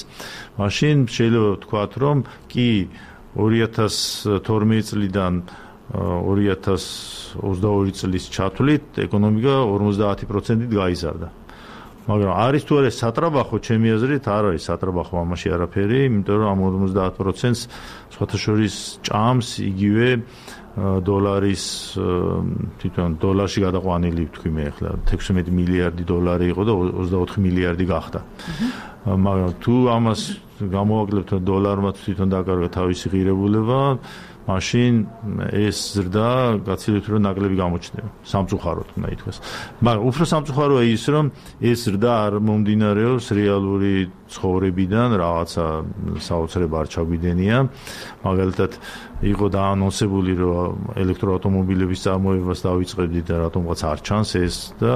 მაშინ შეიძლება ვთქვათ, რომ კი ორი ათას თორმეტი წლიდან ორი ათას ოცდაორი წლის ჩათვლით ეკონომიკა ორმოცდაათი პროცენტით გაიზარდა. მაგრამ არის თუ არა სატრაბახო, ჩემი აზრით არ არის სატრაბახო ამაში არაფერი, იმიტომ რომ ამ ორმოცდაათ პროცენტს სხვათა შორის ჭამს იგივე დოლარის თვითონ დოლარში გადაყვანილი ვთქვი მე ახლა ექვსმეტი მილიარდი დოლარი იყო და ოცდაოთხი მილიარდი გახდა. მაგრამ თუ ამას გამოვაკლებთ დოლარმა თვითონ დაკარგა თავისი ღირებულება, მაშინ ეს ზრდა გაცილებით რომ ნაკლები გამოჩნდება. სამწუხაროდ უნდა ითქვას. მაგრამ უფრო სამწუხაროა ის, რომ ეს ზრდა არ მომდინარეობს რეალური ცხოვრებიდან, რაღაცა საოცრება არ ჩაგვიდენია. მაგალითად იყო დაანონსებული, რომ ელექტროავტომობილების წარმოებას დავიწყებდით და რატომღაც არ ჩანს ეს და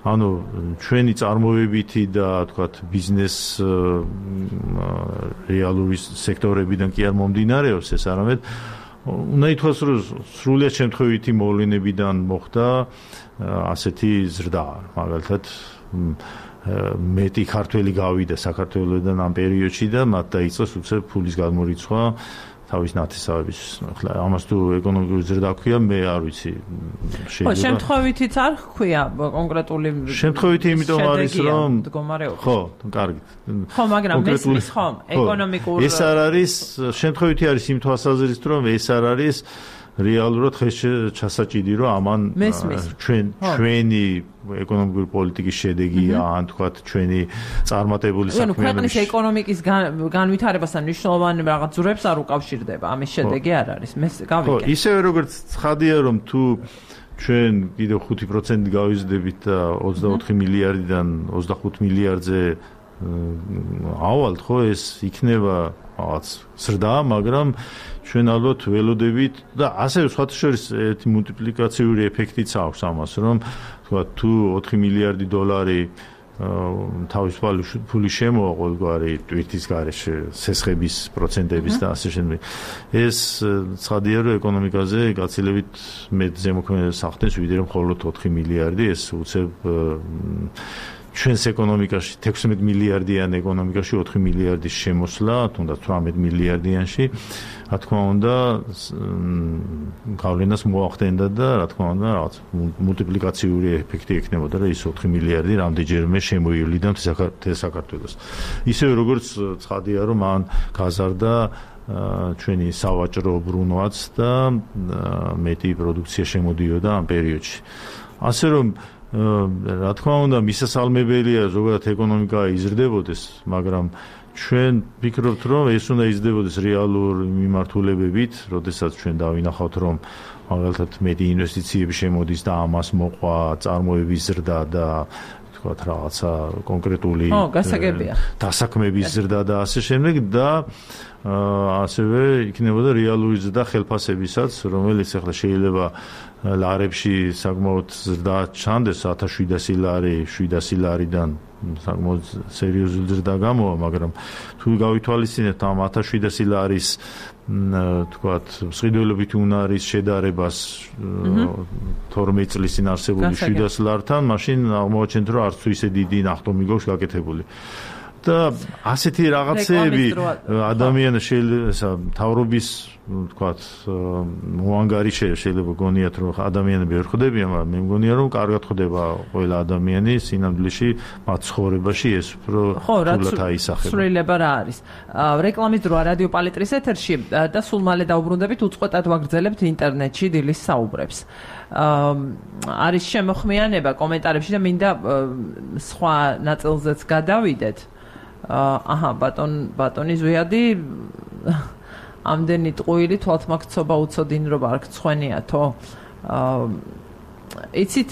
ანუ ჩვენი წარმოებითი და თქვათ ბიზნეს რეალური სექტორებიდან კი არ მომდინარეობს ეს, არამედ უნდა ითქვას, რომ სრულიად შემთხვევითი მოვლენებიდან მოხდა ასეთი ზრდა. მაგალითად მეტი ქართველი გავიდა საქართველოსდან ამ პერიოდში და მათ დაიწყეს უცებ ფულის გადმორიცხვა თავის ნათესავების. ახლა ამას თუ ეკონომიკური ზრდა ქვია, მე არ ვიცი. შეიძლება შემთხვევითიც არ ქვია კონკრეტული შემთხვევითი იმიტომ არის, რომ ხო, კარგით. ხო, მაგრამ მესმის ხომ ეკონომიკურ ეს არ არის შემთხვევითი არის იმ თვალსაზრისით, რომ ეს არ არის რეალურად ხეს ჩასაჭიდი, რომ ამან ჩვენ ჩვენი ეკონომიკური პოლიტიკის შედეგია, ან თქვათ ჩვენი წარმატებული საქმიანობის. ანუ ქვეყნის ეკონომიკის განვითარებასთან მნიშვნელოვანი რაღაც ძვრებს არ უკავშირდება, ამის შედეგი არ არის. მე გავიგე. ხო, ისევე როგორც ცხადია, რომ თუ ჩვენ კიდევ ხუთი პროცენტი გავიზრდებით და ოცდაოთხი მილიარდიდან ოცდახუთ მილიარდზე ავალთ, ხო, ეს იქნება რაღაც ზრდა, მაგრამ ჩვენ ალბათ ველოდებით და ასევე სხვათა შორის ერთი მულტიპლიკაციური ეფექტიც აქვს ამას, რომ თქვა თუ ოთხი მილიარდი დოლარი თავისუფალი ფული შემოვა ყოველგვარი ტვირთის გარეშე, სესხების პროცენტების და ასე შემდეგ. ეს ცხადია, რომ ეკონომიკაზე გაცილებით მეტ ზემოქმედებას ახდენს, ვიდრე მხოლოდ ოთხი მილიარდი, ეს უცებ ჩვენს ეკონომიკაში თექვსმეტ მილიარდიან ეკონომიკაში ოთხი მილიარდის შემოსვლა, თუნდაც თვრამეტ მილიარდიანში, რა თქმა უნდა, გავლენას მოახდენდა და რა თქმა უნდა, რაღაც მულტიპლიკაციური ეფექტი ექნებოდა, რომ ის ოთხი მილიარდი რამდენჯერმე შემოივლიდა საქართველოს. ისევე როგორც ცხადია, რომ მან გაზარდა ჩვენი სავაჭრო ბრუნვაც და მეტი პროდუქცია შემოდიოდა ამ პერიოდში. ასე რომ რა თქმა უნდა, მისასალმებელია ზოგადად ეკონომიკა იზრდებოდეს, მაგრამ ჩვენ ვფიქრობთ, რომ ეს უნდა იზრდებოდეს რეალურ მიმართულებებით, როდესაც ჩვენ დავინახავთ, რომ მაგალითად მეტი ინვესტიციები შემოდის და ამას მოყვა წარმოების ზრდა და თქვათ რაღაცა კონკრეტული დასაქმების ზრდა და ასე შემდეგ და ასევე იქნებოდა რეალური ზრდა ხელფასებისაც, რომელიც ახლა შეიძლება ლარებში საკმაოდ ზრდა ჩანდეს ათას შვიდასი ლარი, შვიდასი ლარიდან საკმაოდ სერიოზული ზრდა გამოვა, მაგრამ თუ გავითვალისწინებთ ამ ათას შვიდასი ლარის თქვათ მსყიდველობით უნარის შედარებას თორმეტ წლის წინ არსებული შვიდასი ლართან, მაშინ აღმოაჩენთ, რომ არც თუ ისე დიდი ნახტომი გვაქვს გაკეთებული. და ასეთი რაღაცეები ადამიანს შეიძლება თავრობის თქვათ მოანგარიშე შეიძლება გონიათ, რომ ადამიანები ვერ ხვდებიან, მაგრამ მე მგონია, რომ კარგად ხვდება ყველა ადამიანი სინამდვილეში მათ ცხოვრებაში ეს უფრო თულად აისახება. სრულიება რა არის? რეკლამის დროა რადიო პალიტრის ეთერში და სულ მალე დაუბრუნდებით უწყვეტად ვაგრძელებთ ინტერნეტში დილის საუბრებს. არის შემოხმიანება კომენტარებში და მინდა სხვა ნაწილზეც გადავიდეთ. აჰა, ბატონ ბატონი ზვიადი ამდენი ტყუილი თვალთმაქცობა უცოდინ რომ არ გცხვენიათო. იცით,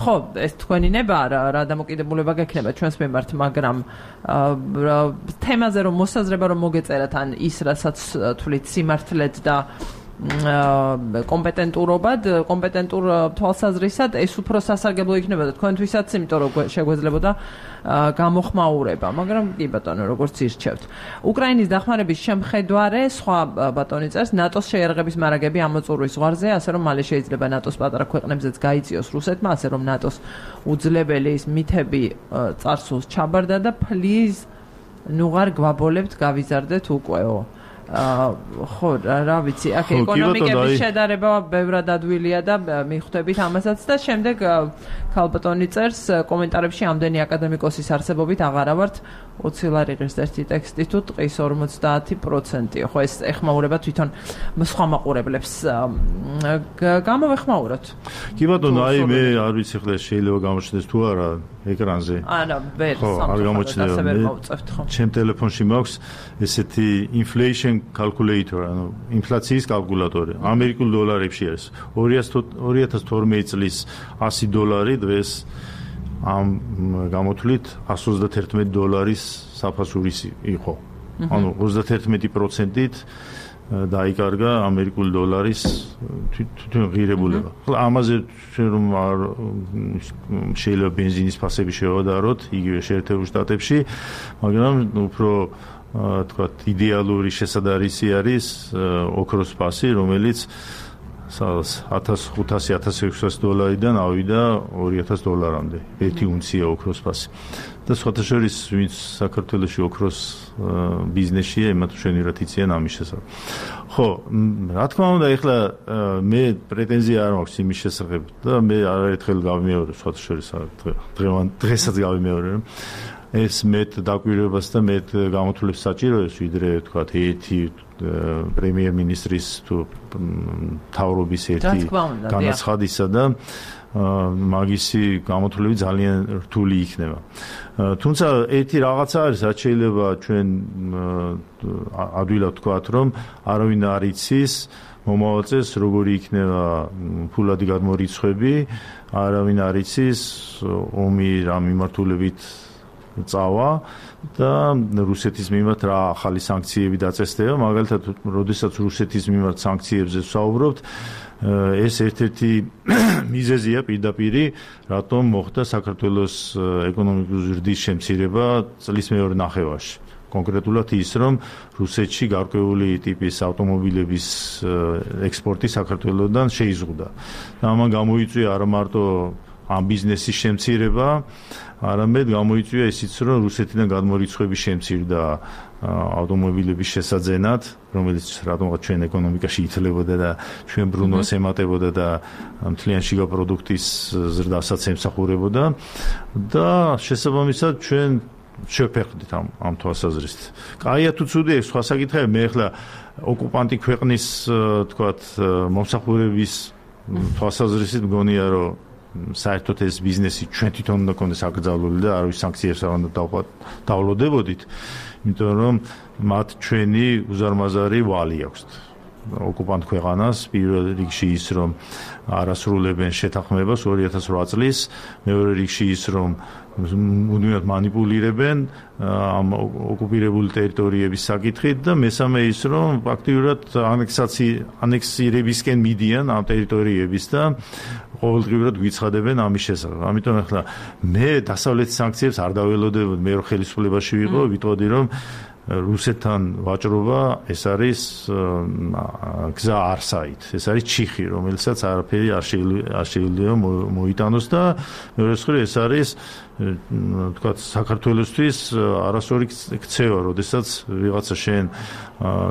ხო, ეს თქვენი ნება რა დამოკიდებულება გექნება ჩვენს მიმართ, მაგრამ თემაზე რომ მოსაზრება რომ მოგეწერათ ან ის რასაც თვლით სიმართლედ და კომპეტენტურობად, კომპეტენტურ თვალსაზრისად ეს უფრო სასარგებლო იქნებოდა თქვენთვისაც, იმიტომ რომ შეგვეძლებოდა გამოხმაურება, მაგრამ კი ბატონო, როგორც ირჩევთ. უკრაინის დახმარების შემხედვარე სხვა ბატონი წერს, ნატოს შეიარაღების მარაგები ამოწურვის ზღვარზე, ასე რომ მალე შეიძლება ნატოს პატარა ქვეყნებზეც გაიწიოს რუსეთმა, ასე რომ ნატოს უძლებელი ის მითები წარსულს ჩაბარდა და ფლიზ ნუღარ გვაბოლებთ გავიზარდეთ უკვეო. ხო, რა ვიცი, აქ ეკონომიკების შედარება ბევრად ადვილია და მიხვდებით ამასაც და შემდეგ ქალბატონი წერს კომენტარებში ამდენი აკადემიკოსის არსებობით აღარა ვართ ოცი ლარი ღირს ერთი ტექსტი თუ ტყის ორმოცდაათი პროცენტი. ხო, ეს ეხმაურება თვითონ სხვა მაყურებლებს. გამოვეხმაუროთ. კი ბატონო, აი მე არ ვიცი ხლა შეიძლება გამოჩნდეს თუ არა ეკრანზე. არა, ვერ სამწუხაროდ. ჩემ ტელეფონში მაქვს ესეთი inflation calculator, ანუ ინფლაციის კალკულატორი. ამერიკულ დოლარებში არის. ორი ათას თორმეტი წლის ასი დოლარი დღეს ამ გამოთვლით εκατს ოცდაათერთმეტი დოლარის საფასურის იყო. ანუ ოცდაათერთმეტი პროცენტით დაიკარგა ამერიკული დოლარის თვითონ ღირებულება. ამაზე რომ შეიძლება ბენზინის ფასები შევადაროთ იგივე შეერთებულ შტატებში, მაგრამ უფრო თქვათ იდეალური შესაძარისი არის ოქროს ფასი, რომელიც ათას ხუთასი ათას ექვსასი დოლარიდან ავიდა ორი ათას დოლარამდე ერთი უნცია ოქროს ფასი. და სხვათა შორის ვინც საქართველოში ოქროს ბიზნესია, იმათ შენიერად იციან ამის შესახებ. ხო, რა თქმა უნდა, ეხლა მე პრეტენზია არ მაქვს იმის შესახებ და მე არაერთხელ გავიმეორე სხვათა შორის დღევან დღესაც გავიმეორე, რომ ეს მეტ დაკვირვებას და მეტ გამოთვლებს საჭიროებს, ვიდრე თქვათ ერთი პრემიერ-მინისტრის თუ მთავრობის ერთი განაცხადისა და მაგისი გამოთვლები ძალიან რთული იქნება. თუმცა ერთი რაღაცა არის, რაც შეიძლება ჩვენ ადვილად ვთქვათ, რომ არავინ არ იცის მომავალ წელს როგორი იქნება ფულადი გადმორიცხვები, არავინ არ იცის ომი რა მიმართულებით წავა და რუსეთის მიმართ რა ახალი სანქციები დაწესდება. მაგალითად, როდესაც რუსეთის მიმართ სანქციებზე ვსაუბრობთ, ეს ერთ-ერთი მიზეზია პირდაპირი, რატომ მოხდა საქართველოს ეკონომიკური ზრდის შემცირება წლის მეორე ნახევარში. კონკრეტულად ის, რომ რუსეთში გარკვეული ტიპის ავტომობილების ექსპორტი საქართველოსდან შეიზღუდა. და ამან გამოიწვია არა მარტო ამ ბიზნესის შემცირება, არამედ გამოიწვია ისიც, რომ რუსეთიდან გადმორიცხვები შემცირდა ავტომობილების შესაძენად, რომელიც რატომღაც ჩვენ ეკონომიკაში ითვლებოდა და ჩვენ ბრუნვას ემატებოდა და მთლიან შიგა პროდუქტის ზრდასაც ემსახურებოდა და შესაბამისად ჩვენ შევფერხდით ამ ამ თვალსაზრისით. კაია თუ ცუდია, სხვა საკითხია, მე ახლა ოკუპანტი ქვეყნის თქვათ მომსახურების თვალსაზრისით მგონია, რომ საერთოდ ეს ბიზნესი ჩვენ თვითონ უნდა გქონდეს აკრძალული და არავის სანქციებს არ უნდა დავლოდებოდით, იმიტომ რომ მათ ჩვენი უზარმაზარი ვალი აქვს. ოკუპანტ ქვეყანას პირველ რიგში ის, რომ არასრულებენ შეთანხმებას ორი ათას ოთხ წლის, მეორე რიგში ის, რომ მუდმივად манипуლირებენ ამ ოკუპირებული ტერიტორიების საკითხით და მესამე ის, რომ აქტიურად ანექსირებისკენ მიდიან ამ ტერიტორიების და ყოველდღიურად გვიცხადებენ ამის შესახებ. ამიტომ ახლა მე დასავლეთის სანქციებს არ დაველოდებოდი, მე რო ხელისუფლებაში ვიყო, ვიტყოდი რომ რუსეთთან ვაჭრობა ეს არის გზა არსაით, ეს არის ჩიხი, რომელსაც არაფერი არ შეიძლება მოიტანოს და მეორე მხრივ ეს არის თქვათ საქართველოსთვის არასორი ქცევა, როდესაც ვიღაცა შენ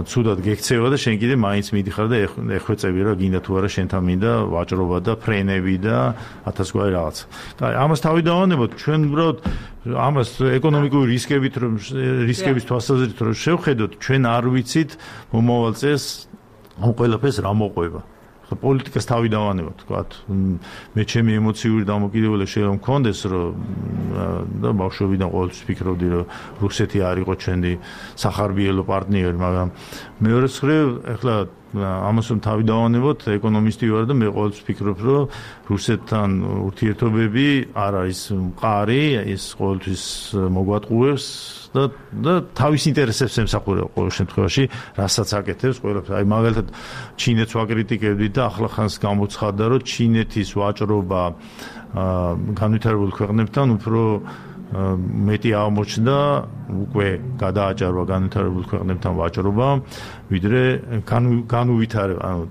ცუდად გექცევა და შენ კიდე მაინც მიდიხარ და ეხვეწები რა გინდა თუ არა შენთან მინდა ვაჭრობა და ფრენები და ათასგვარი რაღაც. და ამას თავი დავანებოთ, ჩვენ უბრალოდ ამას ეკონომიკური რისკებით რომ რისკების თვალსაზრისით რომ შევხედოთ, ჩვენ არ ვიცით მომავალ წელს ამ ყველაფერს რა მოყვება. პოლიტიკას თავი დავანებოთ, თქვათ, მე ჩემი ემოციური დამოკიდებულება შეიძლება მქონდეს, რომ და ბავშვობიდან ყოველთვის ფიქრობდი, რომ რუსეთი არ იყო ჩვენი სახარბიელო პარტნიორი, მაგრამ მეორე მხრივ, ახლა ამას რომ თავი დავანებოთ, ეკონომისტი ვარ და მე ყოველთვის ფიქრობ, რომ რუსეთთან ურთიერთობები არ არის მყარი, ეს ყოველთვის მოგვატყუებს და და თავის ინტერესებს ემსახურება ყოველ შემთხვევაში, რასაც აკეთებს ყველაფერს. აი მაგალითად ჩინეთს ვაკრიტიკებდით და ახლა ხანს გამოცხადდა, რომ ჩინეთის ვაჭრობა განვითარებულ ქვეყნებთან უფრო მეტი აღმოჩნდა, უკვე გადააჭარბა განვითარებულ ქვეყნებთან ვაჭრობა, ვიდრე განუვითარება, ანუ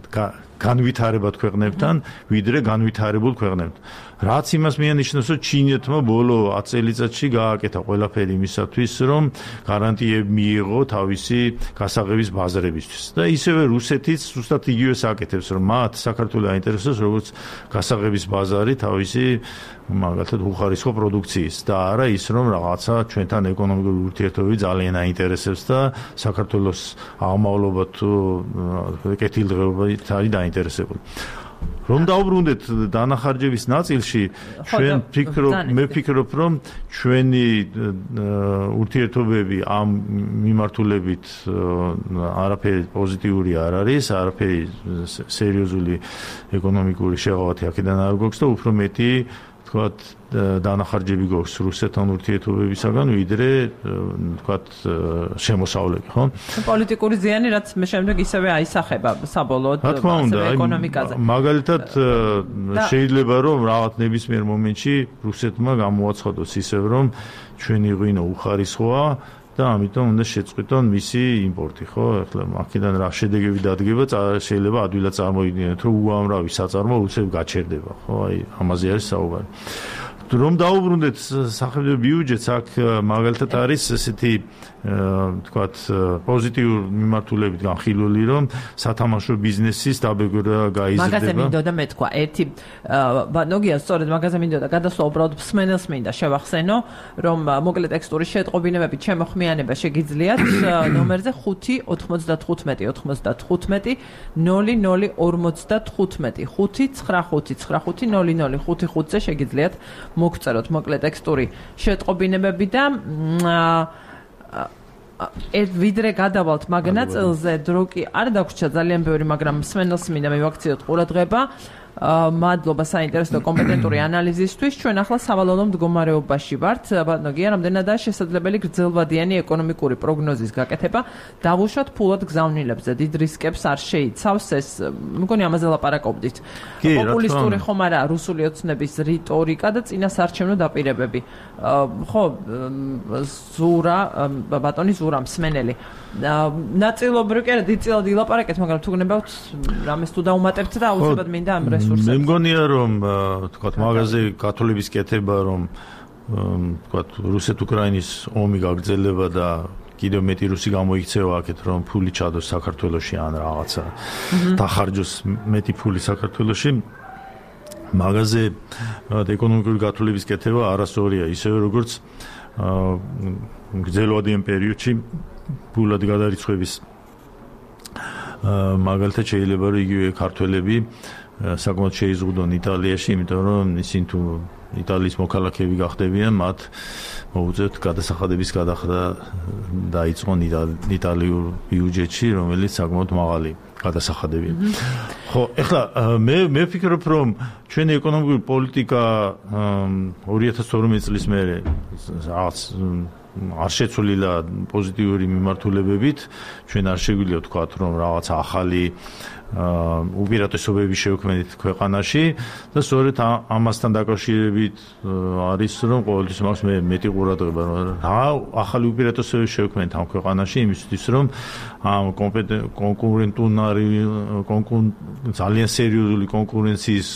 განვითარებად ქვეყნებთან, ვიდრე განვითარებულ ქვეყნებთან. რაც იმას მიანიშნებს, რომ ჩინეთმა ბოლო ათი წელიწადში გააკეთა ყველაფერი იმისათვის, რომ გარანტიები მიიღო თავისი გასაღების ბაზრებისთვის. და ისევე რუსეთიც ზუსტად იგივეს აკეთებს, რომ მათ საქართველოს აინტერესებს როგორც გასაღების ბაზარი თავისი მაგალითად უხარისხო პროდუქციის და არა ის, რომ რაღაცა ჩვენთან ეკონომიკური ურთიერთობები ძალიან აინტერესებს და საქართველოს აღმავლობა თუ კეთილდღეობით არის დაინტერესებული. რომ დაუბრუნდეთ დანახარჯების ნაწილში, ჩვენ ფიქრობ, მე ვფიქრობ, რომ ჩვენი ურთიერთობები ამ მიმართულებით არაფერი პოზიტიური არ არის, არაფერი სერიოზული ეკონომიკური შეღავათი აქედან არ გვაქვს და უფრო მეტი თქვათ დანახარჯები გვაქვს რუსეთთან ურთიერთობებისაგან, ვიდრე თქვათ შემოსავლები, ხო? პოლიტიკური ზიანი, რაც მე შემდეგ ისევე აისახება საბოლოოდ ეკონომიკაზე. მაგალითად შეიძლება რომ რაღაც ნებისმიერ მომენტში რუსეთმა გამოაცხადოს ისევ რომ ჩვენი ღვინო უხარისხოა და ამიტომ უნდა შეწყვიტონ მისი იმპორტი, ხო? ახლა აქედან რა შედეგები დადგება, შეიძლება ადვილად წარმოიდგინოთ, რომ უამრავი საწარმო უცებ გაჩერდება, ხო? აი ამაზე არის საუბარი. რომ დაუბრუნდეთ სახელმწიფო ბიუჯეტს, აქ მაგალითად არის ესეთი თქვათ პოზიტიურ მიმართულებით განხილული, რომ სათამაშო ბიზნესის დაბეგვერა გაიზრდება. მაგაზე მინდოდა მეთქვა, ერთი ნოგია სწორედ მაგაზე მინდოდა გადასვლა, უბრალოდ მსმენელს მინდა შევახსენო, რომ მოკლე ტექსტური შეტყობინებებით შემოხმიანება შეგიძლიათ ნომერზე ხუთი ოთხმოცდათხუთმეტი ოცდათხუთმეტი ნული ნული ორმოცდათხუთმეტი ხუთი ცხრა ხუთი ცხრა ხუთი ნული ნული ხუთი ხუთზე შეგიძლიათ მოგწეროთ მოკლე ტექსტური შეტყობინებები და ერთ ვიდრე გადავალთ მაგ ნაწილზე, დრო კი არ დაგვრჩა ძალიან ბევრი, მაგრამ მსმენელს მინდა მივაქციოთ ყურადღება. მადლობა საინტერესო კომპეტენტური ანალიზისთვის. ჩვენ ახლა სავალალო მდგომარეობაში ვართ. ბატონო გია, რამდენადაა შესაძლებელი გრძელვადიანი ეკონომიკური პროგნოზის გაკეთება, დავუშვათ ფულად გზავნილებზე, დიდ რისკებს არ შეიცავს ეს. მგონი ამაზე ლაპარაკობდით. პოპულისტური ხომ არა რუსული ოცნების რიტორიკა და წინასარჩევნო დაპირებები. ხო, ზურა, ბატონი ზურა მსმენელი. ნაწილობრივ კი არა, დიდწილად ილაპარაკეთ, მაგრამ თუ გნებავთ რამეს თუ დაუმატებთ და აუცილებლად მინდა ამ რესურსებს. მე მგონია რომ თქვა მაგაზე გათვლების კეთება რომ თქვა რუსეთ-უკრაინის ომი გაგრძელება და კიდევ მეტი რუსი გამოიქცევა აქეთ რომ ფული ჩადოს საქართველოში ან რაღაცა დახარჯოს მეტი ფული საქართველოში მაგაზე ეკონომიკური გათვლების კეთება არასწორია ისევე როგორც გრძელვადიან პერიოდში ფულად გადარიცხვების მაგალითად შეიძლება რომ იგივე ქართველები საკმაოდ შეიზღუდონ იტალიაში, იმიტომ რომ ისინი თუ იტალიის მოქალაქეები გახდებიან, მათ მოუწევთ გადასახადების გადახრა დაიწყონ იტალიურ ბიუჯეტში, რომელიც საკმაოდ მაღალი გადასახადებია. ხო, ეხლა მე მე ვფიქრობ, რომ ჩვენი ეკონომიკური პოლიტიკა ორი ათას თორმეტი წლის მერე რაღაც არ შეცვლილა პოზიტიური მიმართულებებით, ჩვენ არ შეგვიძლია ვთქვათ, რომ რაღაც ახალი უპირატესობები შევქმნით ქვეყანაში და სწორედ ამასთან დაკავშირებით არის რომ ყოველთვის მაქვს მე მეტი ყურადღება რომ რა ახალი უპირატესობები შევქმნით ამ ქვეყანაში იმისთვის რომ ამ კონკურენტუნარი ძალიან სერიოზული კონკურენციის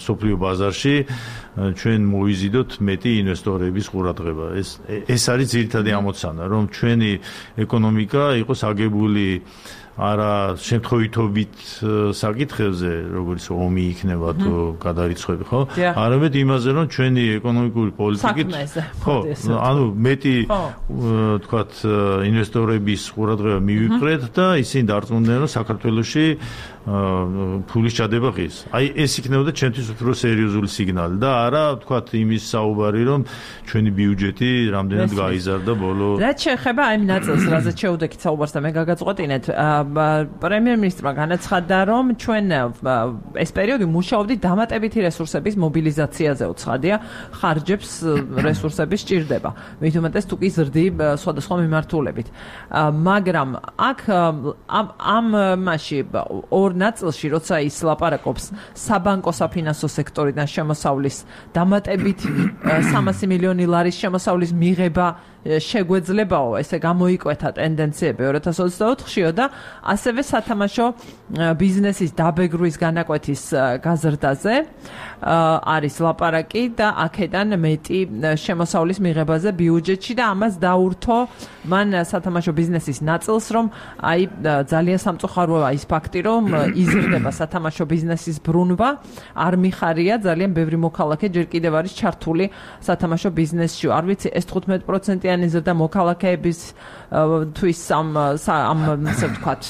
მსოფლიო ბაზარში ჩვენ მოვიზიდოთ მეტი ინვესტორების ყურადღება ეს ეს არის ძირითადი ამოცანა რომ ჩვენი ეკონომიკა იყოს აგებული არა შემთხვევითობით საკითხებზე, როგორც ომი იქნება თუ გადარიცხვები, ხო? არამედ იმაზე, რომ ჩვენი ეკონომიკური პოლიტიკით, ხო, ანუ მეტი თქვათ ინვესტორების ყურადღება მივიყრეთ და ისინი დარწმუნდნენ, რომ საქართველოში ფულის ჩადება ღირს. აი ეს იქნებოდა ჩვენთვის უფრო სერიოზული სიგნალი და არა თქვათ იმის საუბარი, რომ ჩვენი ბიუჯეტი რამდენად გაიზარდა ბოლო. რაც შეეხება აი ნაწილს, რაზეც შეუდექით საუბარს და მე გაგაწყვეტინეთ, პრემიერ-მინისტრმა განაცხადა, რომ ჩვენ ეს პერიოდი მუშაობდით დამატებითი რესურსების მობილიზაციაზე უცხადია, ხარჯებს რესურსების სჭირდება. მით უმეტეს თუ კი ზრდი სხვადასხვა მიმართულებით. მაგრამ აქ ამ მასში ორ ნაწილში, როცა ის ლაპარაკობს საბანკო საფინანსო სექტორიდან შემოსავლის დამატებით სამასი მილიონი ლარის შემოსავლის მიღება შეგვეძლებაო, ესე გამოიკვეთა ტენდენციები ორი ათას ოცდაოთხშიო და ასევე სათამაშო ბიზნესის დაბეგრვის განაკვეთის გაზრდაზე არის ლაპარაკი და აქედან მეტი შემოსავლის მიღებაზე ბიუჯეტში და ამას დაურთო მან სათამაშო ბიზნესის ნაწილს, რომ აი ძალიან სამწუხაროა ის ფაქტი, რომ იზრდება სათამაშო ბიზნესის ბრუნვა, არ მიხარია ძალიან ბევრი მოქალაქე ჯერ კიდევ არის ჩართული სათამაშო ბიზნესში. არ ვიცი, ეს თხუთმეტ პროცენტი ზრდა მოქალაქეების თვის ამ ამ ასე ვთქვათ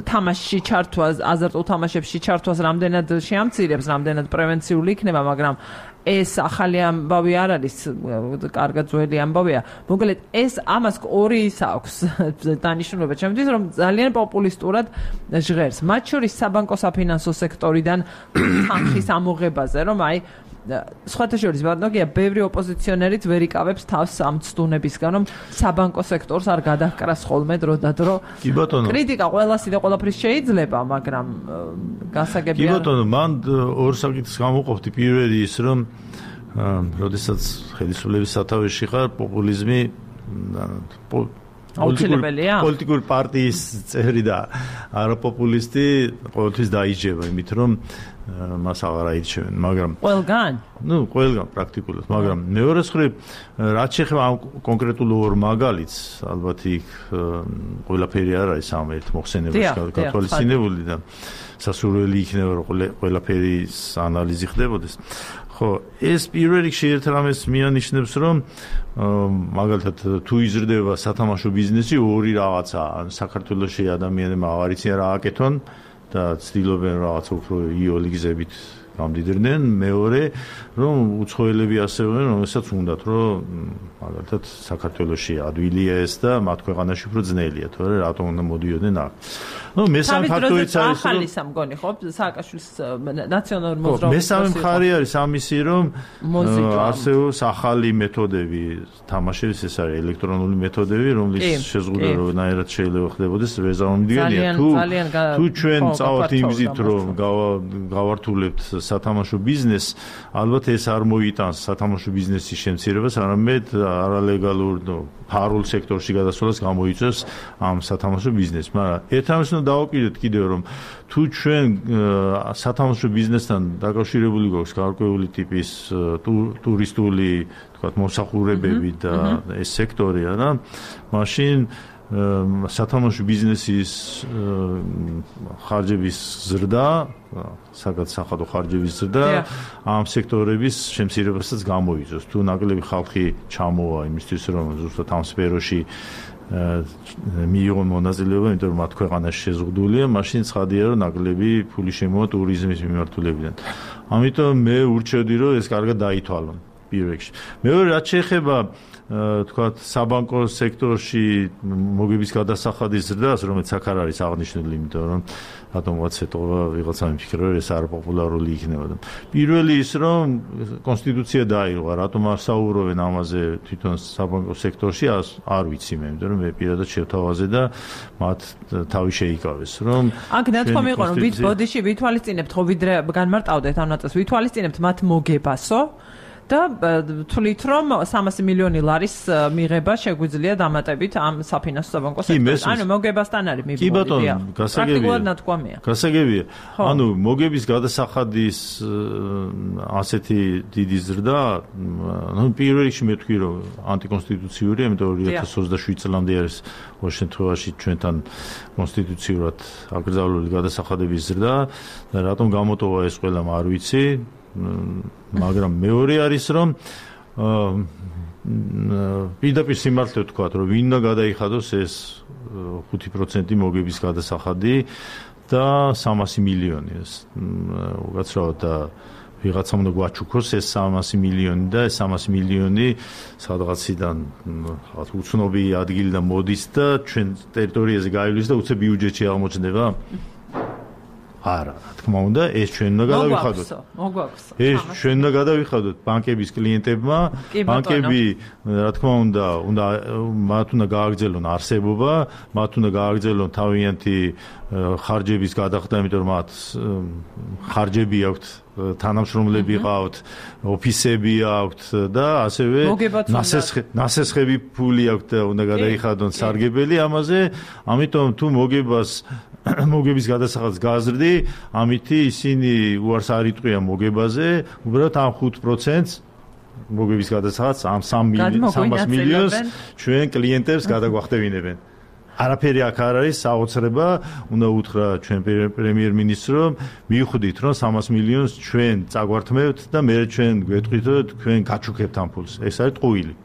თამაშში ჩართვას, აზარტულ თამაშებში ჩართვას რამდენად შეამცირებს, რამდენად პრევენციული იქნება, მაგრამ ეს ახალი ამბავი არ არის, კარგად ძველი ამბავია. მოკლედ ეს ამას ორი ის აქვს დანიშნულება ჩემთვის, რომ ძალიან პოპულისტურად ჟღერს. მათ შორის საბანკო საფინანსო სექტორიდან თანხის ამოღებაზე, რომ აი სხვათა შორის ბატონია, ბევრი ოპოზიციონერიც ვერ იკავებს თავს ამ ცდუნებისგან, რომ საბანკო სექტორს არ გადაჰკრას ხოლმე დრო და დრო. კი ბატონო. კრიტიკა ყველასი და ყველაფრის შეიძლება, მაგრამ გასაგებია. კი ბატონო, მან ორ საკითხს გამოყოფდი. პირველი ის, რომ როდესაც ხელისუფლების სათავეში ხარ, პოპულიზმი აუცილებელია. პოლიტიკური პარტიის წევრი და არაპოპულისტი ყოველთვის დაიჯება, იმით რომ მას აღარ აირჩევენ, მაგრამ ყველგან? ნუ, ყველგან პრაქტიკულად, მაგრამ მეორე მხრივ, რაც შეეხება ამ კონკრეტულ ორ მაგალითს, ალბათ იქ ყველაფერი არ არის ამ ერთ მოხსენებაში გათვალისწინებული და სასურველი იქნება, რომ ყველაფერის ანალიზი ხდებოდეს. ხო, ეს პირველ რიგში ერთ რამეს მიანიშნებს, რომ მაგალითად თუ იზრდება სათამაშო ბიზნესი, ორი რაღაცა, საქართველოში ადამიანებმა აღარ იციან რა აკეთონ და ცდილობენ რაღაც უფრო იოლი გზებით გამდიდრდნენ, მეორე რომ უცხოელები ასევე რომელსაც უნდათ რომ მაგალითად საქართველოში ადვილია ეს და მათ ქვეყანაში უფრო ძნელია, თორე რატომ უნდა მოდიოდნენ აქ. ნუ მესამე ფაქტორიც არის რომ ახალი სამგონი ხო სააკაშვილის ნაციონალური მოძრაობის მესამე მხარე არის ამისი რომ არსებობს ახალი მეთოდები თამაშების, ეს არის ელექტრონული მეთოდები, რომლის შეზღუდვა როდნაირად შეიძლება ხდებოდეს ვეზარმომდგენია თუ თუ ჩვენ წავართ იმ გზით რომ გავართულებთ სათამაშო ბიზნესს, ალბათ ეს არ მოიტანს სათამაშო ბიზნესის შემცირებას, არამედ არალეგალურ ფარულ სექტორში გადასვლას გამოიწვევს ამ სათამაშო ბიზნესს. მაგრამ ერთმანეთს უნდა დავაკიდოთ კიდევ რომ თუ ჩვენ სათამაშო ბიზნესთან დაკავშირებული გვაქვს გარკვეული ტიპის ტურისტული, თქვათ, მომსახურებები და ეს სექტორია რა, მაშინ სათამაშო ბიზნესის ხარჯების ზრდა, საგადასახადო ხარჯების ზრდა ამ სექტორების შემცირებასაც გამოიწვევს. თუ ნაკლები ხალხი ჩამოვა იმისთვის, რომ ზუსტად ამ სფეროში მიიღონ მონაწილეობა, იმიტომ რომ მათ ქვეყანაში შეზღუდულია, მაშინ ცხადია, რომ ნაკლები ფული შემოვა ტურიზმის მიმართულებიდან. ამიტომ მე ურჩევდი, რომ ეს კარგად დაითვალონ პირველ რიგში. მეორე, რაც შეეხება თქვათ საბანკო სექტორში მოგების გადასახადის ზრდას, რომელიც აქ არ არის აღნიშნული, იმიტომ რომ რატომღაც ეთყობა ვიღაცა მიფიქრა, რომ ეს არაპოპულარული იქნებოდა. პირველი ის, რომ კონსტიტუცია დაირღვა, რატომ არ საუბრობენ ამაზე თვითონ საბანკო სექტორში, არ ვიცი მე, იმიტომ რომ მე პირადად შევთავაზე და მათ თავი შეიკავეს, რომ აქ ნათქვამი იყო, რომ ვით ბოდიში ვითვალისწინებთ, ხო ვიდრე განმარტავდეთ ამ ნაწილს, ვითვალისწინებთ მათ მოგებასო და თვლით რომ სამასი მილიონი ლარის მიღება შეგვიძლია დამატებით ამ საფინანსო საბანკო სექტორში. ანუ მოგებასთან არის მიბოლი. კი ბატონო, გასაგებია. პრაქტიკულად ნათქვამია. გასაგებია. ანუ მოგების გადასახადის ასეთი დიდი ზრდა, ну პირველ რიგში მე თქვი რომ ანტიკონსტიტუციურია, იმიტომ რომ ორი ათას ოცდაშვიდ წლამდე არის ყოველ შემთხვევაში ჩვენთან კონსტიტუციურად აკრძალული გადასახადების ზრდა და რატომ გამოტოვა ეს ყველა არ ვიცი. მაგრამ მეორე არის რომ პირდაპირ სიმართლე ვთქვათ რომ ვინ უნდა გადაიხადოს ეს ხუთი პროცენტი მოგების გადასახადი და სამასი მილიონი ეს უკაცრავად და ვიღაცამ უნდა გვაჩუქოს ეს სამასი მილიონი და ეს სამასი მილიონი სადღაციდან რაღაც უცნობი ადგილიდან მოდის და ჩვენ ტერიტორიაზე გაივლის და უცებ ბიუჯეტში აღმოჩნდება. არა, რა თქმა უნდა, ეს ჩვენ უნდა გადავიხადოთ. მოგვაქვსო. ეს ჩვენ უნდა გადავიხადოთ ბანკების კლიენტებმა. ბანკები, რა თქმა უნდა, უნდა მათ უნდა გააგრძელონ არსებობა, მათ უნდა გააგრძელონ თავიანთი ხარჯების გადახდა, იმიტომ რომ მათ ხარჯები აქვთ, თანამშრომლები ყავთ, ოფისები აქვთ და ასევე ნასესხები ფული აქვთ და უნდა გადაიხადონ სარგებელი ამაზე, ამიტომ თუ მოგებას მოგების გადასახადს გაზრდი, ამითი ისინი უარს არ იტყვიან მოგებაზე, უბრალოდ ამ ხუთ პროცენტს მოგების გადასახადს ამ სამას მილიონს ჩვენ კლიენტებს გადაგვახტევინებენ. არაფერი აქ არ არის საოცრება, უნდა უთხრა ჩვენ პრემიერ-მინისტრს, რომ მივხვდით, რომ სამას მილიონს ჩვენ წაგვართმევთ და მე ჩვენ გვეტყვით, რომ თქვენ გაჩუქებთ ამ ფულს. ეს არის ტყუილი.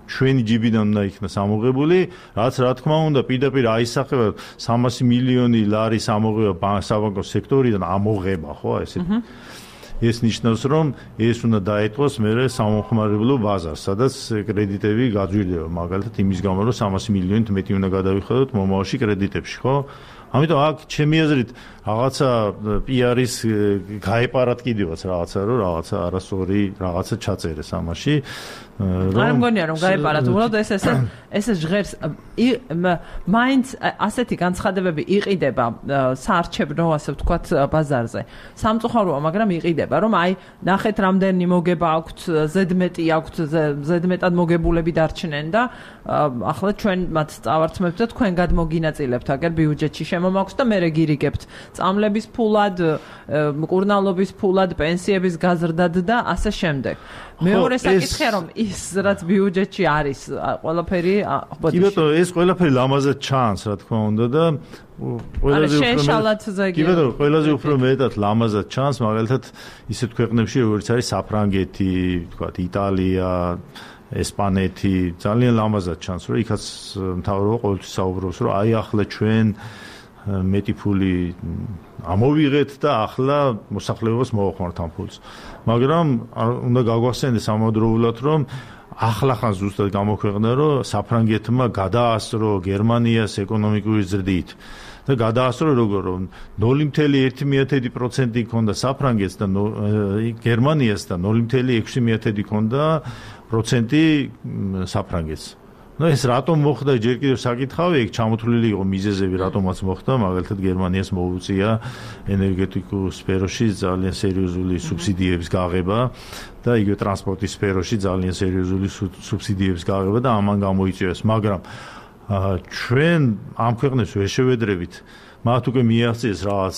ჩვენი ჯიბიდან უნდა იქნას ამოღებული, რაც რა თქმა უნდა პირდაპირ აისახება სამასი მილიონი ლარის ამოღება საბანკო სექტორიდან ამოღება, ხო, ესეთ. ეს ნიშნავს, რომ ეს უნდა დაეთყოს მერე სამომხმარებლო ბაზარს, სადაც კრედიტები გაძვირდება, მაგალითად იმის გამო, რომ სამასი მილიონით მეტი უნდა გადავიხადოთ მომავალში კრედიტებში, ხო? ამიტომ აქ ჩემი აზრით რაღაცა პი-არის გაეპარათ კიდევაც რაღაცა, რომ რაღაცა არასწორი რაღაცა ჩაწერეს ამაში. არ მგონია რომ გაეპარათ, უბრალოდ ეს ეს ეს ჟღერს მაინც ასეთი განცხადებები იყიდება საარჩევნო, ასე ვთქვათ, ბაზარზე. სამწუხაროა, მაგრამ იყიდება, რომ აი ნახეთ რამდენი მოგება აქვთ, ზედმეტი აქვთ, ზედმეტად მოგებულები დარჩნენ და ახლა ჩვენ მათ წავართმევთ და თქვენ გადმოგინაწილებთ აგერ ბიუჯეტში შემომაქვს და მე რეგირიგებთ წამლების ფულად, მკურნალობის ფულად, პენსიების გაზრდად და ასე შემდეგ. მეორე საკითხია რომ ის რაც ბიუჯეტში არის ყველაფერი კი ბატონო ეს ყველაფერი ლამაზად ჩანს რა თქმა უნდა და ყველაზე უფრო კი ბატონო ყველაზე უფრო მეტად ლამაზად ჩანს მაგალითად ისეთ ქვეყნებში როგორც არის საფრანგეთი, თქვა იტალია, ესპანეთი, ძალიან ლამაზად ჩანს რომ იქაც მთავრობა ყოველთვის საუბრობს რომ აი ახლა ჩვენ მეტი ფული ამოვიღეთ და ახლა მოსახლეობას მოვახმართ ამ ფულს. მაგრამ უნდა გაგვახსენდეს ამავდროულად, რომ ახლა-ხან ზუსტად გამოქვეყნდა, რომ საფრანგეთმა გადაასწრო გერმანიას ეკონომიკური ზრდით. და გადაასწრო როგორ რომ ნული კომა ერთი პროცენტი ჰქონდა საფრანგეთს და გერმანიას და ნული კომა ექვსი ჰქონდა პროცენტი საფრანგეთს. ნუ ეს რატომ მოხდა ჯერ კიდევ საკითხავი, ეგ ჩამოთვლილი იყო მიზეზები, რატომაც მოხდა, მაგალითად გერმანიას მოუწია ენერგეტიკულ სფეროში ძალიან სერიოზული სუბსიდიების გაღება და იგივე ტრანსპორტის სფეროში ძალიან სერიოზული სუბსიდიების გაღება და ამან გამოიწვია ეს, მაგრამ ჩვენ ამ ქვეყნებს ვერ შევედრებით, მათ უკვე მიაღწიეს რაღაც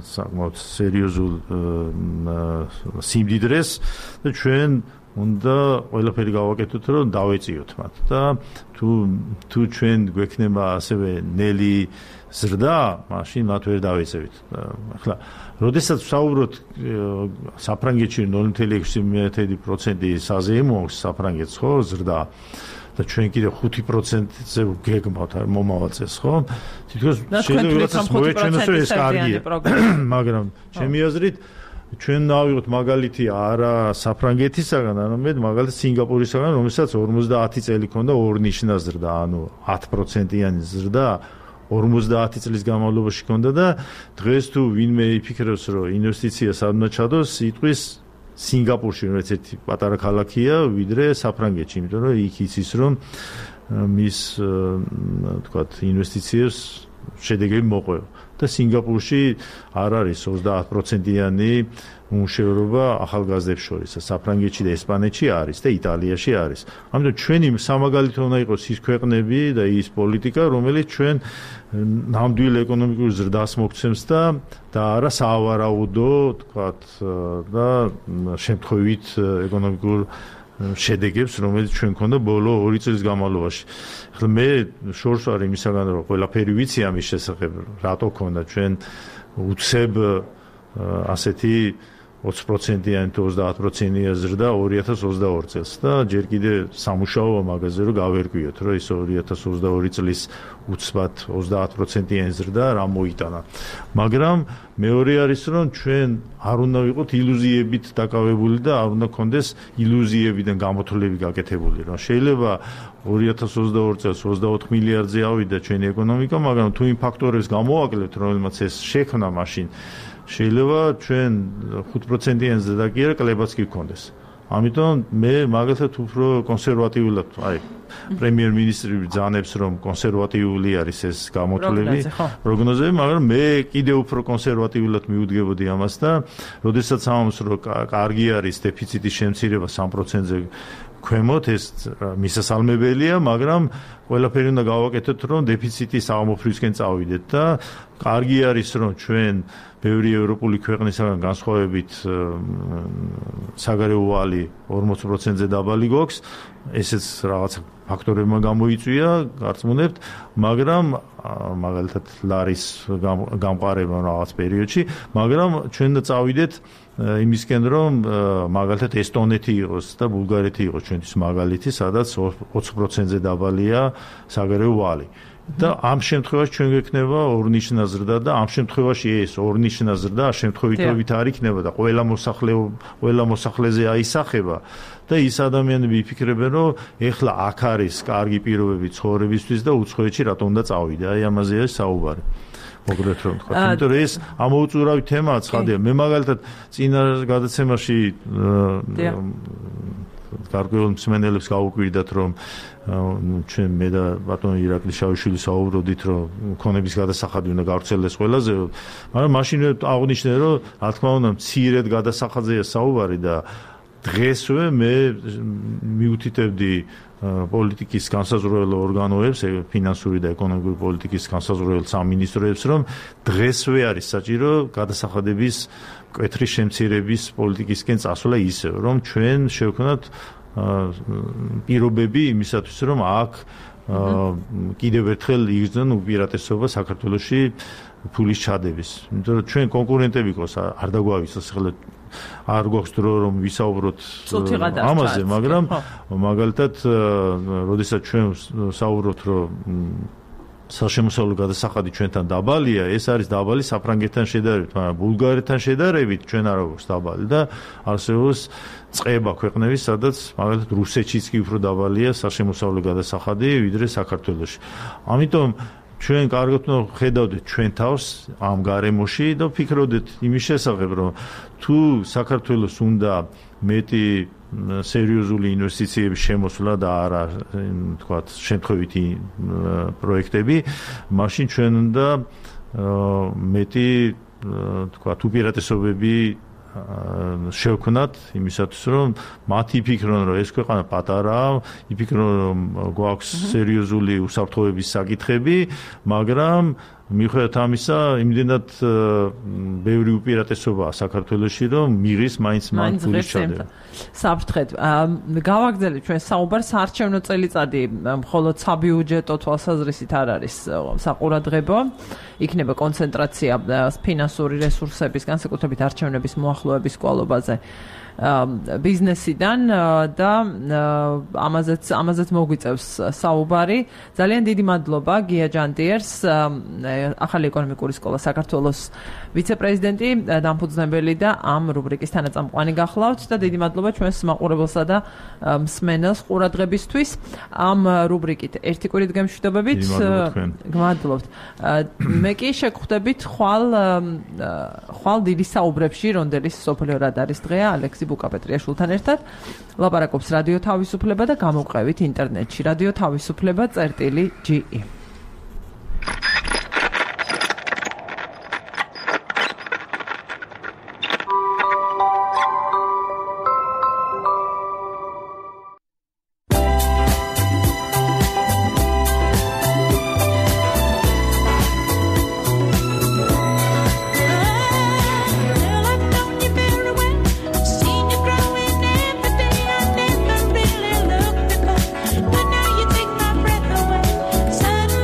საკმაოდ სერიოზულ სიმდიდრეს და ჩვენ უნდა ყველაფერი გავაკეთოთ, რომ დავეწიოთ მათ და თუ თუ ჩვენ გვექნება ასევე ნელი ზრდა, მაშინ მათ ვერ დავეწევით. ახლა, როდესაც ვსაუბრობთ საფრანგეთში ნული კომა ექვსი პროცენტი საზეიმო საფრანგეთს, ხო, ზრდა და ჩვენ კიდე ხუთი პროცენტზე გეგმავთ მომავალწეს, ხო? თითქოს შეიძლება მოეჩვენოს, რომ ეს კარგია, მაგრამ ჩემი აზრით ჩვენ დავიღოთ მაგალითი არა საფრანგეთისაგან, არამედ მაგალითად სინგაპურისაგან, რომელსაც ორმოცდაათი წელი ჰქონდა ორნიშნა ზრდა, ანუ ათი პროცენტიანი ზრდა ორმოცდაათი წლის განმავლობაში ჰქონდა და დღეს თუ ვინმე იფიქრებს, რომ ინვესტიცია სადმე ჩადოს, იტყვის სინგაპურში, რომელიც ერთი პატარა ქალაქია, ვიდრე საფრანგეთში, იმიტომ რომ იქ იცის, რომ მის თქვათ ინვესტიციებს შედეგები მოყვება. და სინგაპურში არ არის ოცდაათი პროცენტიანი უმუშევრობა ახალგაზრდებს შორის. საფრანგეთში და ესპანეთში არის და იტალიაში არის. ამიტომ ჩვენი სამაგალითო უნდა იყოს ის ქვეყნები და ის პოლიტიკა, რომელიც ჩვენ ნამდვილ ეკონომიკურ ზრდას მოგცემს და და არა საავარაუდო, თქვათ, და შემთხვევით ეკონომიკურ შედეგებს, რომელიც ჩვენ გქონდა ბოლო ორი წლის განმავლობაში. ახლა მე შორს ვარ იმისაგან, რომ ყველაფერი ვიცი ამის შესახებ, რატო გქონდა ჩვენ უცებ ასეთი ოცი პროცენტიანი თუ ოცდაათი პროცენტიანი ზრდა ორი ათას ოცდაორი წელს და ჯერ კიდე სამუშაოა მაგაზე, რომ გავერკვიოთ, რომ ის ორი ათას ოცდაორი წლის უცბად ოცდაათი პროცენტიანი ზრდა რა მოიტანა. მაგრამ მეორე არის, რომ ჩვენ არ უნდა ვიყოთ ილუზიებით დაკავებული და არ უნდა გქონდეს ილუზიებიდან გამოთვლები გაკეთებული, რომ შეიძლება ორი ათას ოცდაორი წელს ოცდაოთხ მილიარდზე ავიდა ჩვენი ეკონომიკა, მაგრამ თუ იმ ფაქტორებს გამოვაკლებთ, რომელმაც ეს შექმნა მაშინ, შეიძლება ჩვენ ხუთი პროცენტიანი ზრდა კი არა, კლებაც კი გქონდეს. ამიტომ მე მაგალითად უფრო კონსერვატიულად, აი, პრემიერ-მინისტრი ბრძანებს, რომ კონსერვატიული არის ეს გამოთვლები, პროგნოზები, მაგრამ მე კიდევ უფრო კონსერვატიულად მიუდგებოდი ამას და როდესაც ამბობს, რომ კარგი არის დეფიციტის შემცირება სამი პროცენტზე ქვემოთ, ეს მისასალმებელია, მაგრამ ყველაფერი უნდა გავაკეთოთ, რომ დეფიციტი აღმოფხვისკენ წავიდეთ და კარგი არის, რომ ჩვენ ბევრი ევროპული ქვეყნისაგან განსხვავებით საგარეო ვალი ორმოც პროცენტზე დაბალი გვაქვს, ესეც რაღაც ფაქტორებმა გამოიწვია, გარწმუნებთ, მაგრამ მაგალითად ლარის გამყარება რაღაც პერიოდში, მაგრამ ჩვენ და წავიდეთ იმისკენ, რომ მაგალითად ესტონეთი იყოს და ბულგარეთი იყოს ჩვენთვის მაგალითი, სადაც ოცი პროცენტზე დაბალია საგარეო ვალი. და ამ შემთხვევაში ჩვენ გვექნება ორნიშნა ზრდა და ამ შემთხვევაში ეს ორნიშნა ზრდა შემთხვევითობით არ იქნება და ყველა მოსახლე ყველა მოსახლეზე აისახება და ის ადამიანები იფიქრებენ, რომ ეხლა აქ არის კარგი პირობები ცხოვრებისთვის და უცხოეთში რატომ უნდა წავიდე. აი ამაზეა საუბარი. მოგდეთ რომ თქვა, იმიტომ რომ ეს ამოუწურავი თემაა ცხადია. მე მაგალითად წინა გადაცემაში გარკვეულ მსმენელებს გავუკვირდათ, რომ ჩვენ მე და ბატონი ირაკლი შავიშვილი საუბრობდით, რომ ქონების გადასახადი უნდა გავრცელდეს ყველაზე, მაგრამ მაშინ აღნიშნე, რომ რა თქმა უნდა მცირედ გადასახადზეა საუბარი და დღესვე მე მიუთითებდი პოლიტიკის განსაზღვრაველ ორგანოებს, ფინანსური და ეკონომიკური პოლიტიკის განსაზღვრაველ სამინისტროებს, რომ დღესვე არის საჭირო გადასახადების მკვეთრი შემცირების პოლიტიკისკენ წასვლა ისე, რომ ჩვენ შევქნათ პირობები იმისათვის, რომ აქ კიდევ ერთხელ იგრძნონ უპირატესობა საქართველოში ფულის ჩადების. იმიტომ რომ ჩვენ კონკურენტები გვყავს, არ დაგვავიწყოს ახლა არ გვაქვს დრო რომ ვისაუბროთ ამაზე, მაგრამ მაგალითად, როდესაც ჩვენ საუბრობთ, რომ საშემოსავლო გადასახადი ჩვენთან დაბალია, ეს არის დაბალი საფრანგეთთან შედარებით, მაგრამ ბულგარეთთან შედარებით ჩვენ არ გვაქვს დაბალი და არსებობს წყება ქვეყნების, სადაც მაგალითად რუსეთშიც კი უფრო დაბალია საშემოსავლო გადასახადი ვიდრე საქართველოში. ამიტომ ჩვენ კარგად უნდა ხედავდეთ ჩვენ თავს ამ გარემოში და ვფიქრობდეთ იმის შესახებ, რომ თუ საქართველოს უნდა მეტი სერიოზული ინვესტიციების შემოსვლა და არა თქვათ შემთხვევითი პროექტები, მაშინ ჩვენ უნდა მეტი თქვათ უპირატესობები შევქმნათ იმისათვის, რომ მათი იფიქრონ, რომ ეს ქვეყანა პატარაა, იფიქრონ, რომ გვაქვს სერიოზული უსაფრთხოების საკითხები, მაგრამ მიუხედავად ამისა, იმდენად ბევრი უპირატესობაა საქართველოში, რომ მიღის მაინც მან ფულის ჩადება. საფრთხეთ, გავაგრძელეთ ჩვენ საუბარს საარჩევნო წელიწადი, მხოლოდ საბიუჯეტო თვალსაზრისით არ არის საყურადღებო. იქნება კონცენტრაცია ფინანსური რესურსების, განსაკუთრებით არჩევნების მოახლოების კვალობაზე ბიზნესიდან და ამაზეც ამაზეც მოგვიწევს საუბარი. ძალიან დიდი მადლობა გია ჯანდიერს, ახალი ეკონომიკური სკოლა საქართველოს ვიცე-პრეზიდენტი, დამფუძნებელი და ამ რუბრიკის თანაწამყვანი გახლავთ და დიდი მადლობა ჩვენს მაყურებელსა და მსმენელს ყურადღებისთვის. ამ რუბრიკით ერთი კვირით გემშვიდობებით. გმადლობთ. მე კი შეგხვდებით ხვალ ხვალ დიდი საუბრებში, რონდელის სოფლიო რადარის დღეა, ალექსი ბუკაპეტრიაშვილთან ერთად ლაპარაკობს რადიო თავისუფლება და გამოვყევით ინტერნეტში რადიო თავისუფლება წერტილი ჯი ი. Suddenly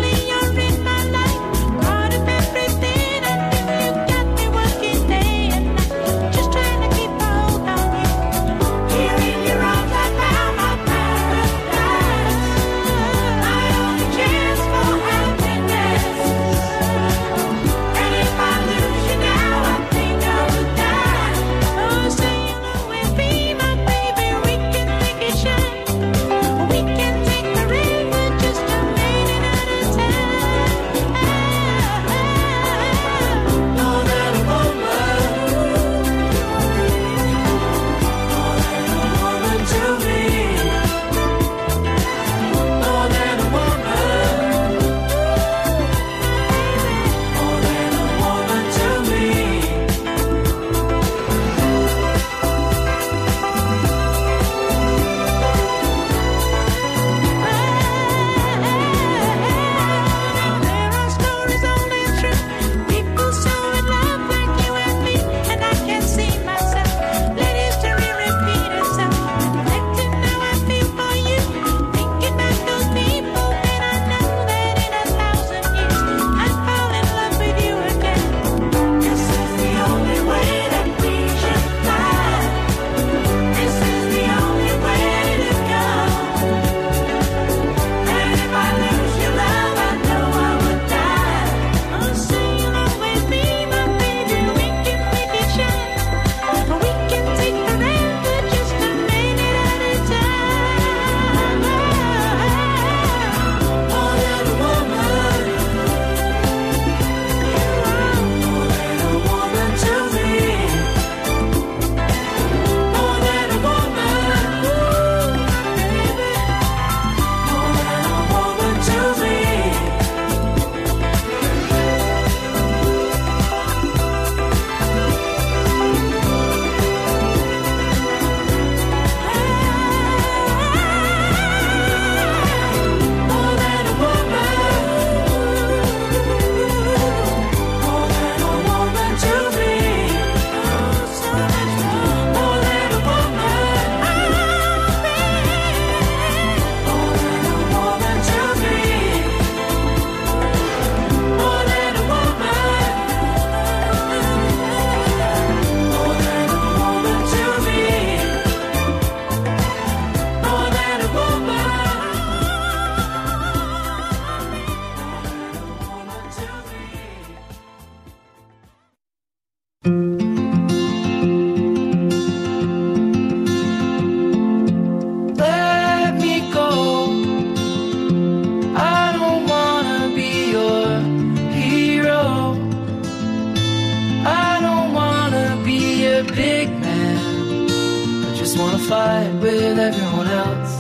fight with everyone else.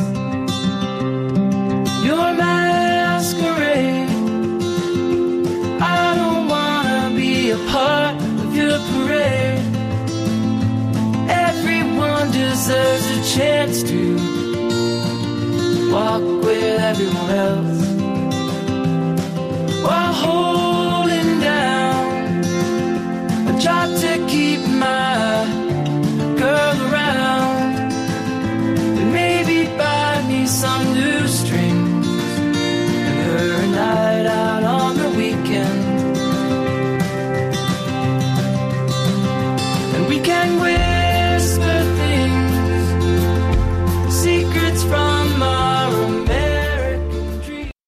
Your masquerade. I don't wanna be a part of your parade. Everyone deserves a chance to walk with everyone else while holding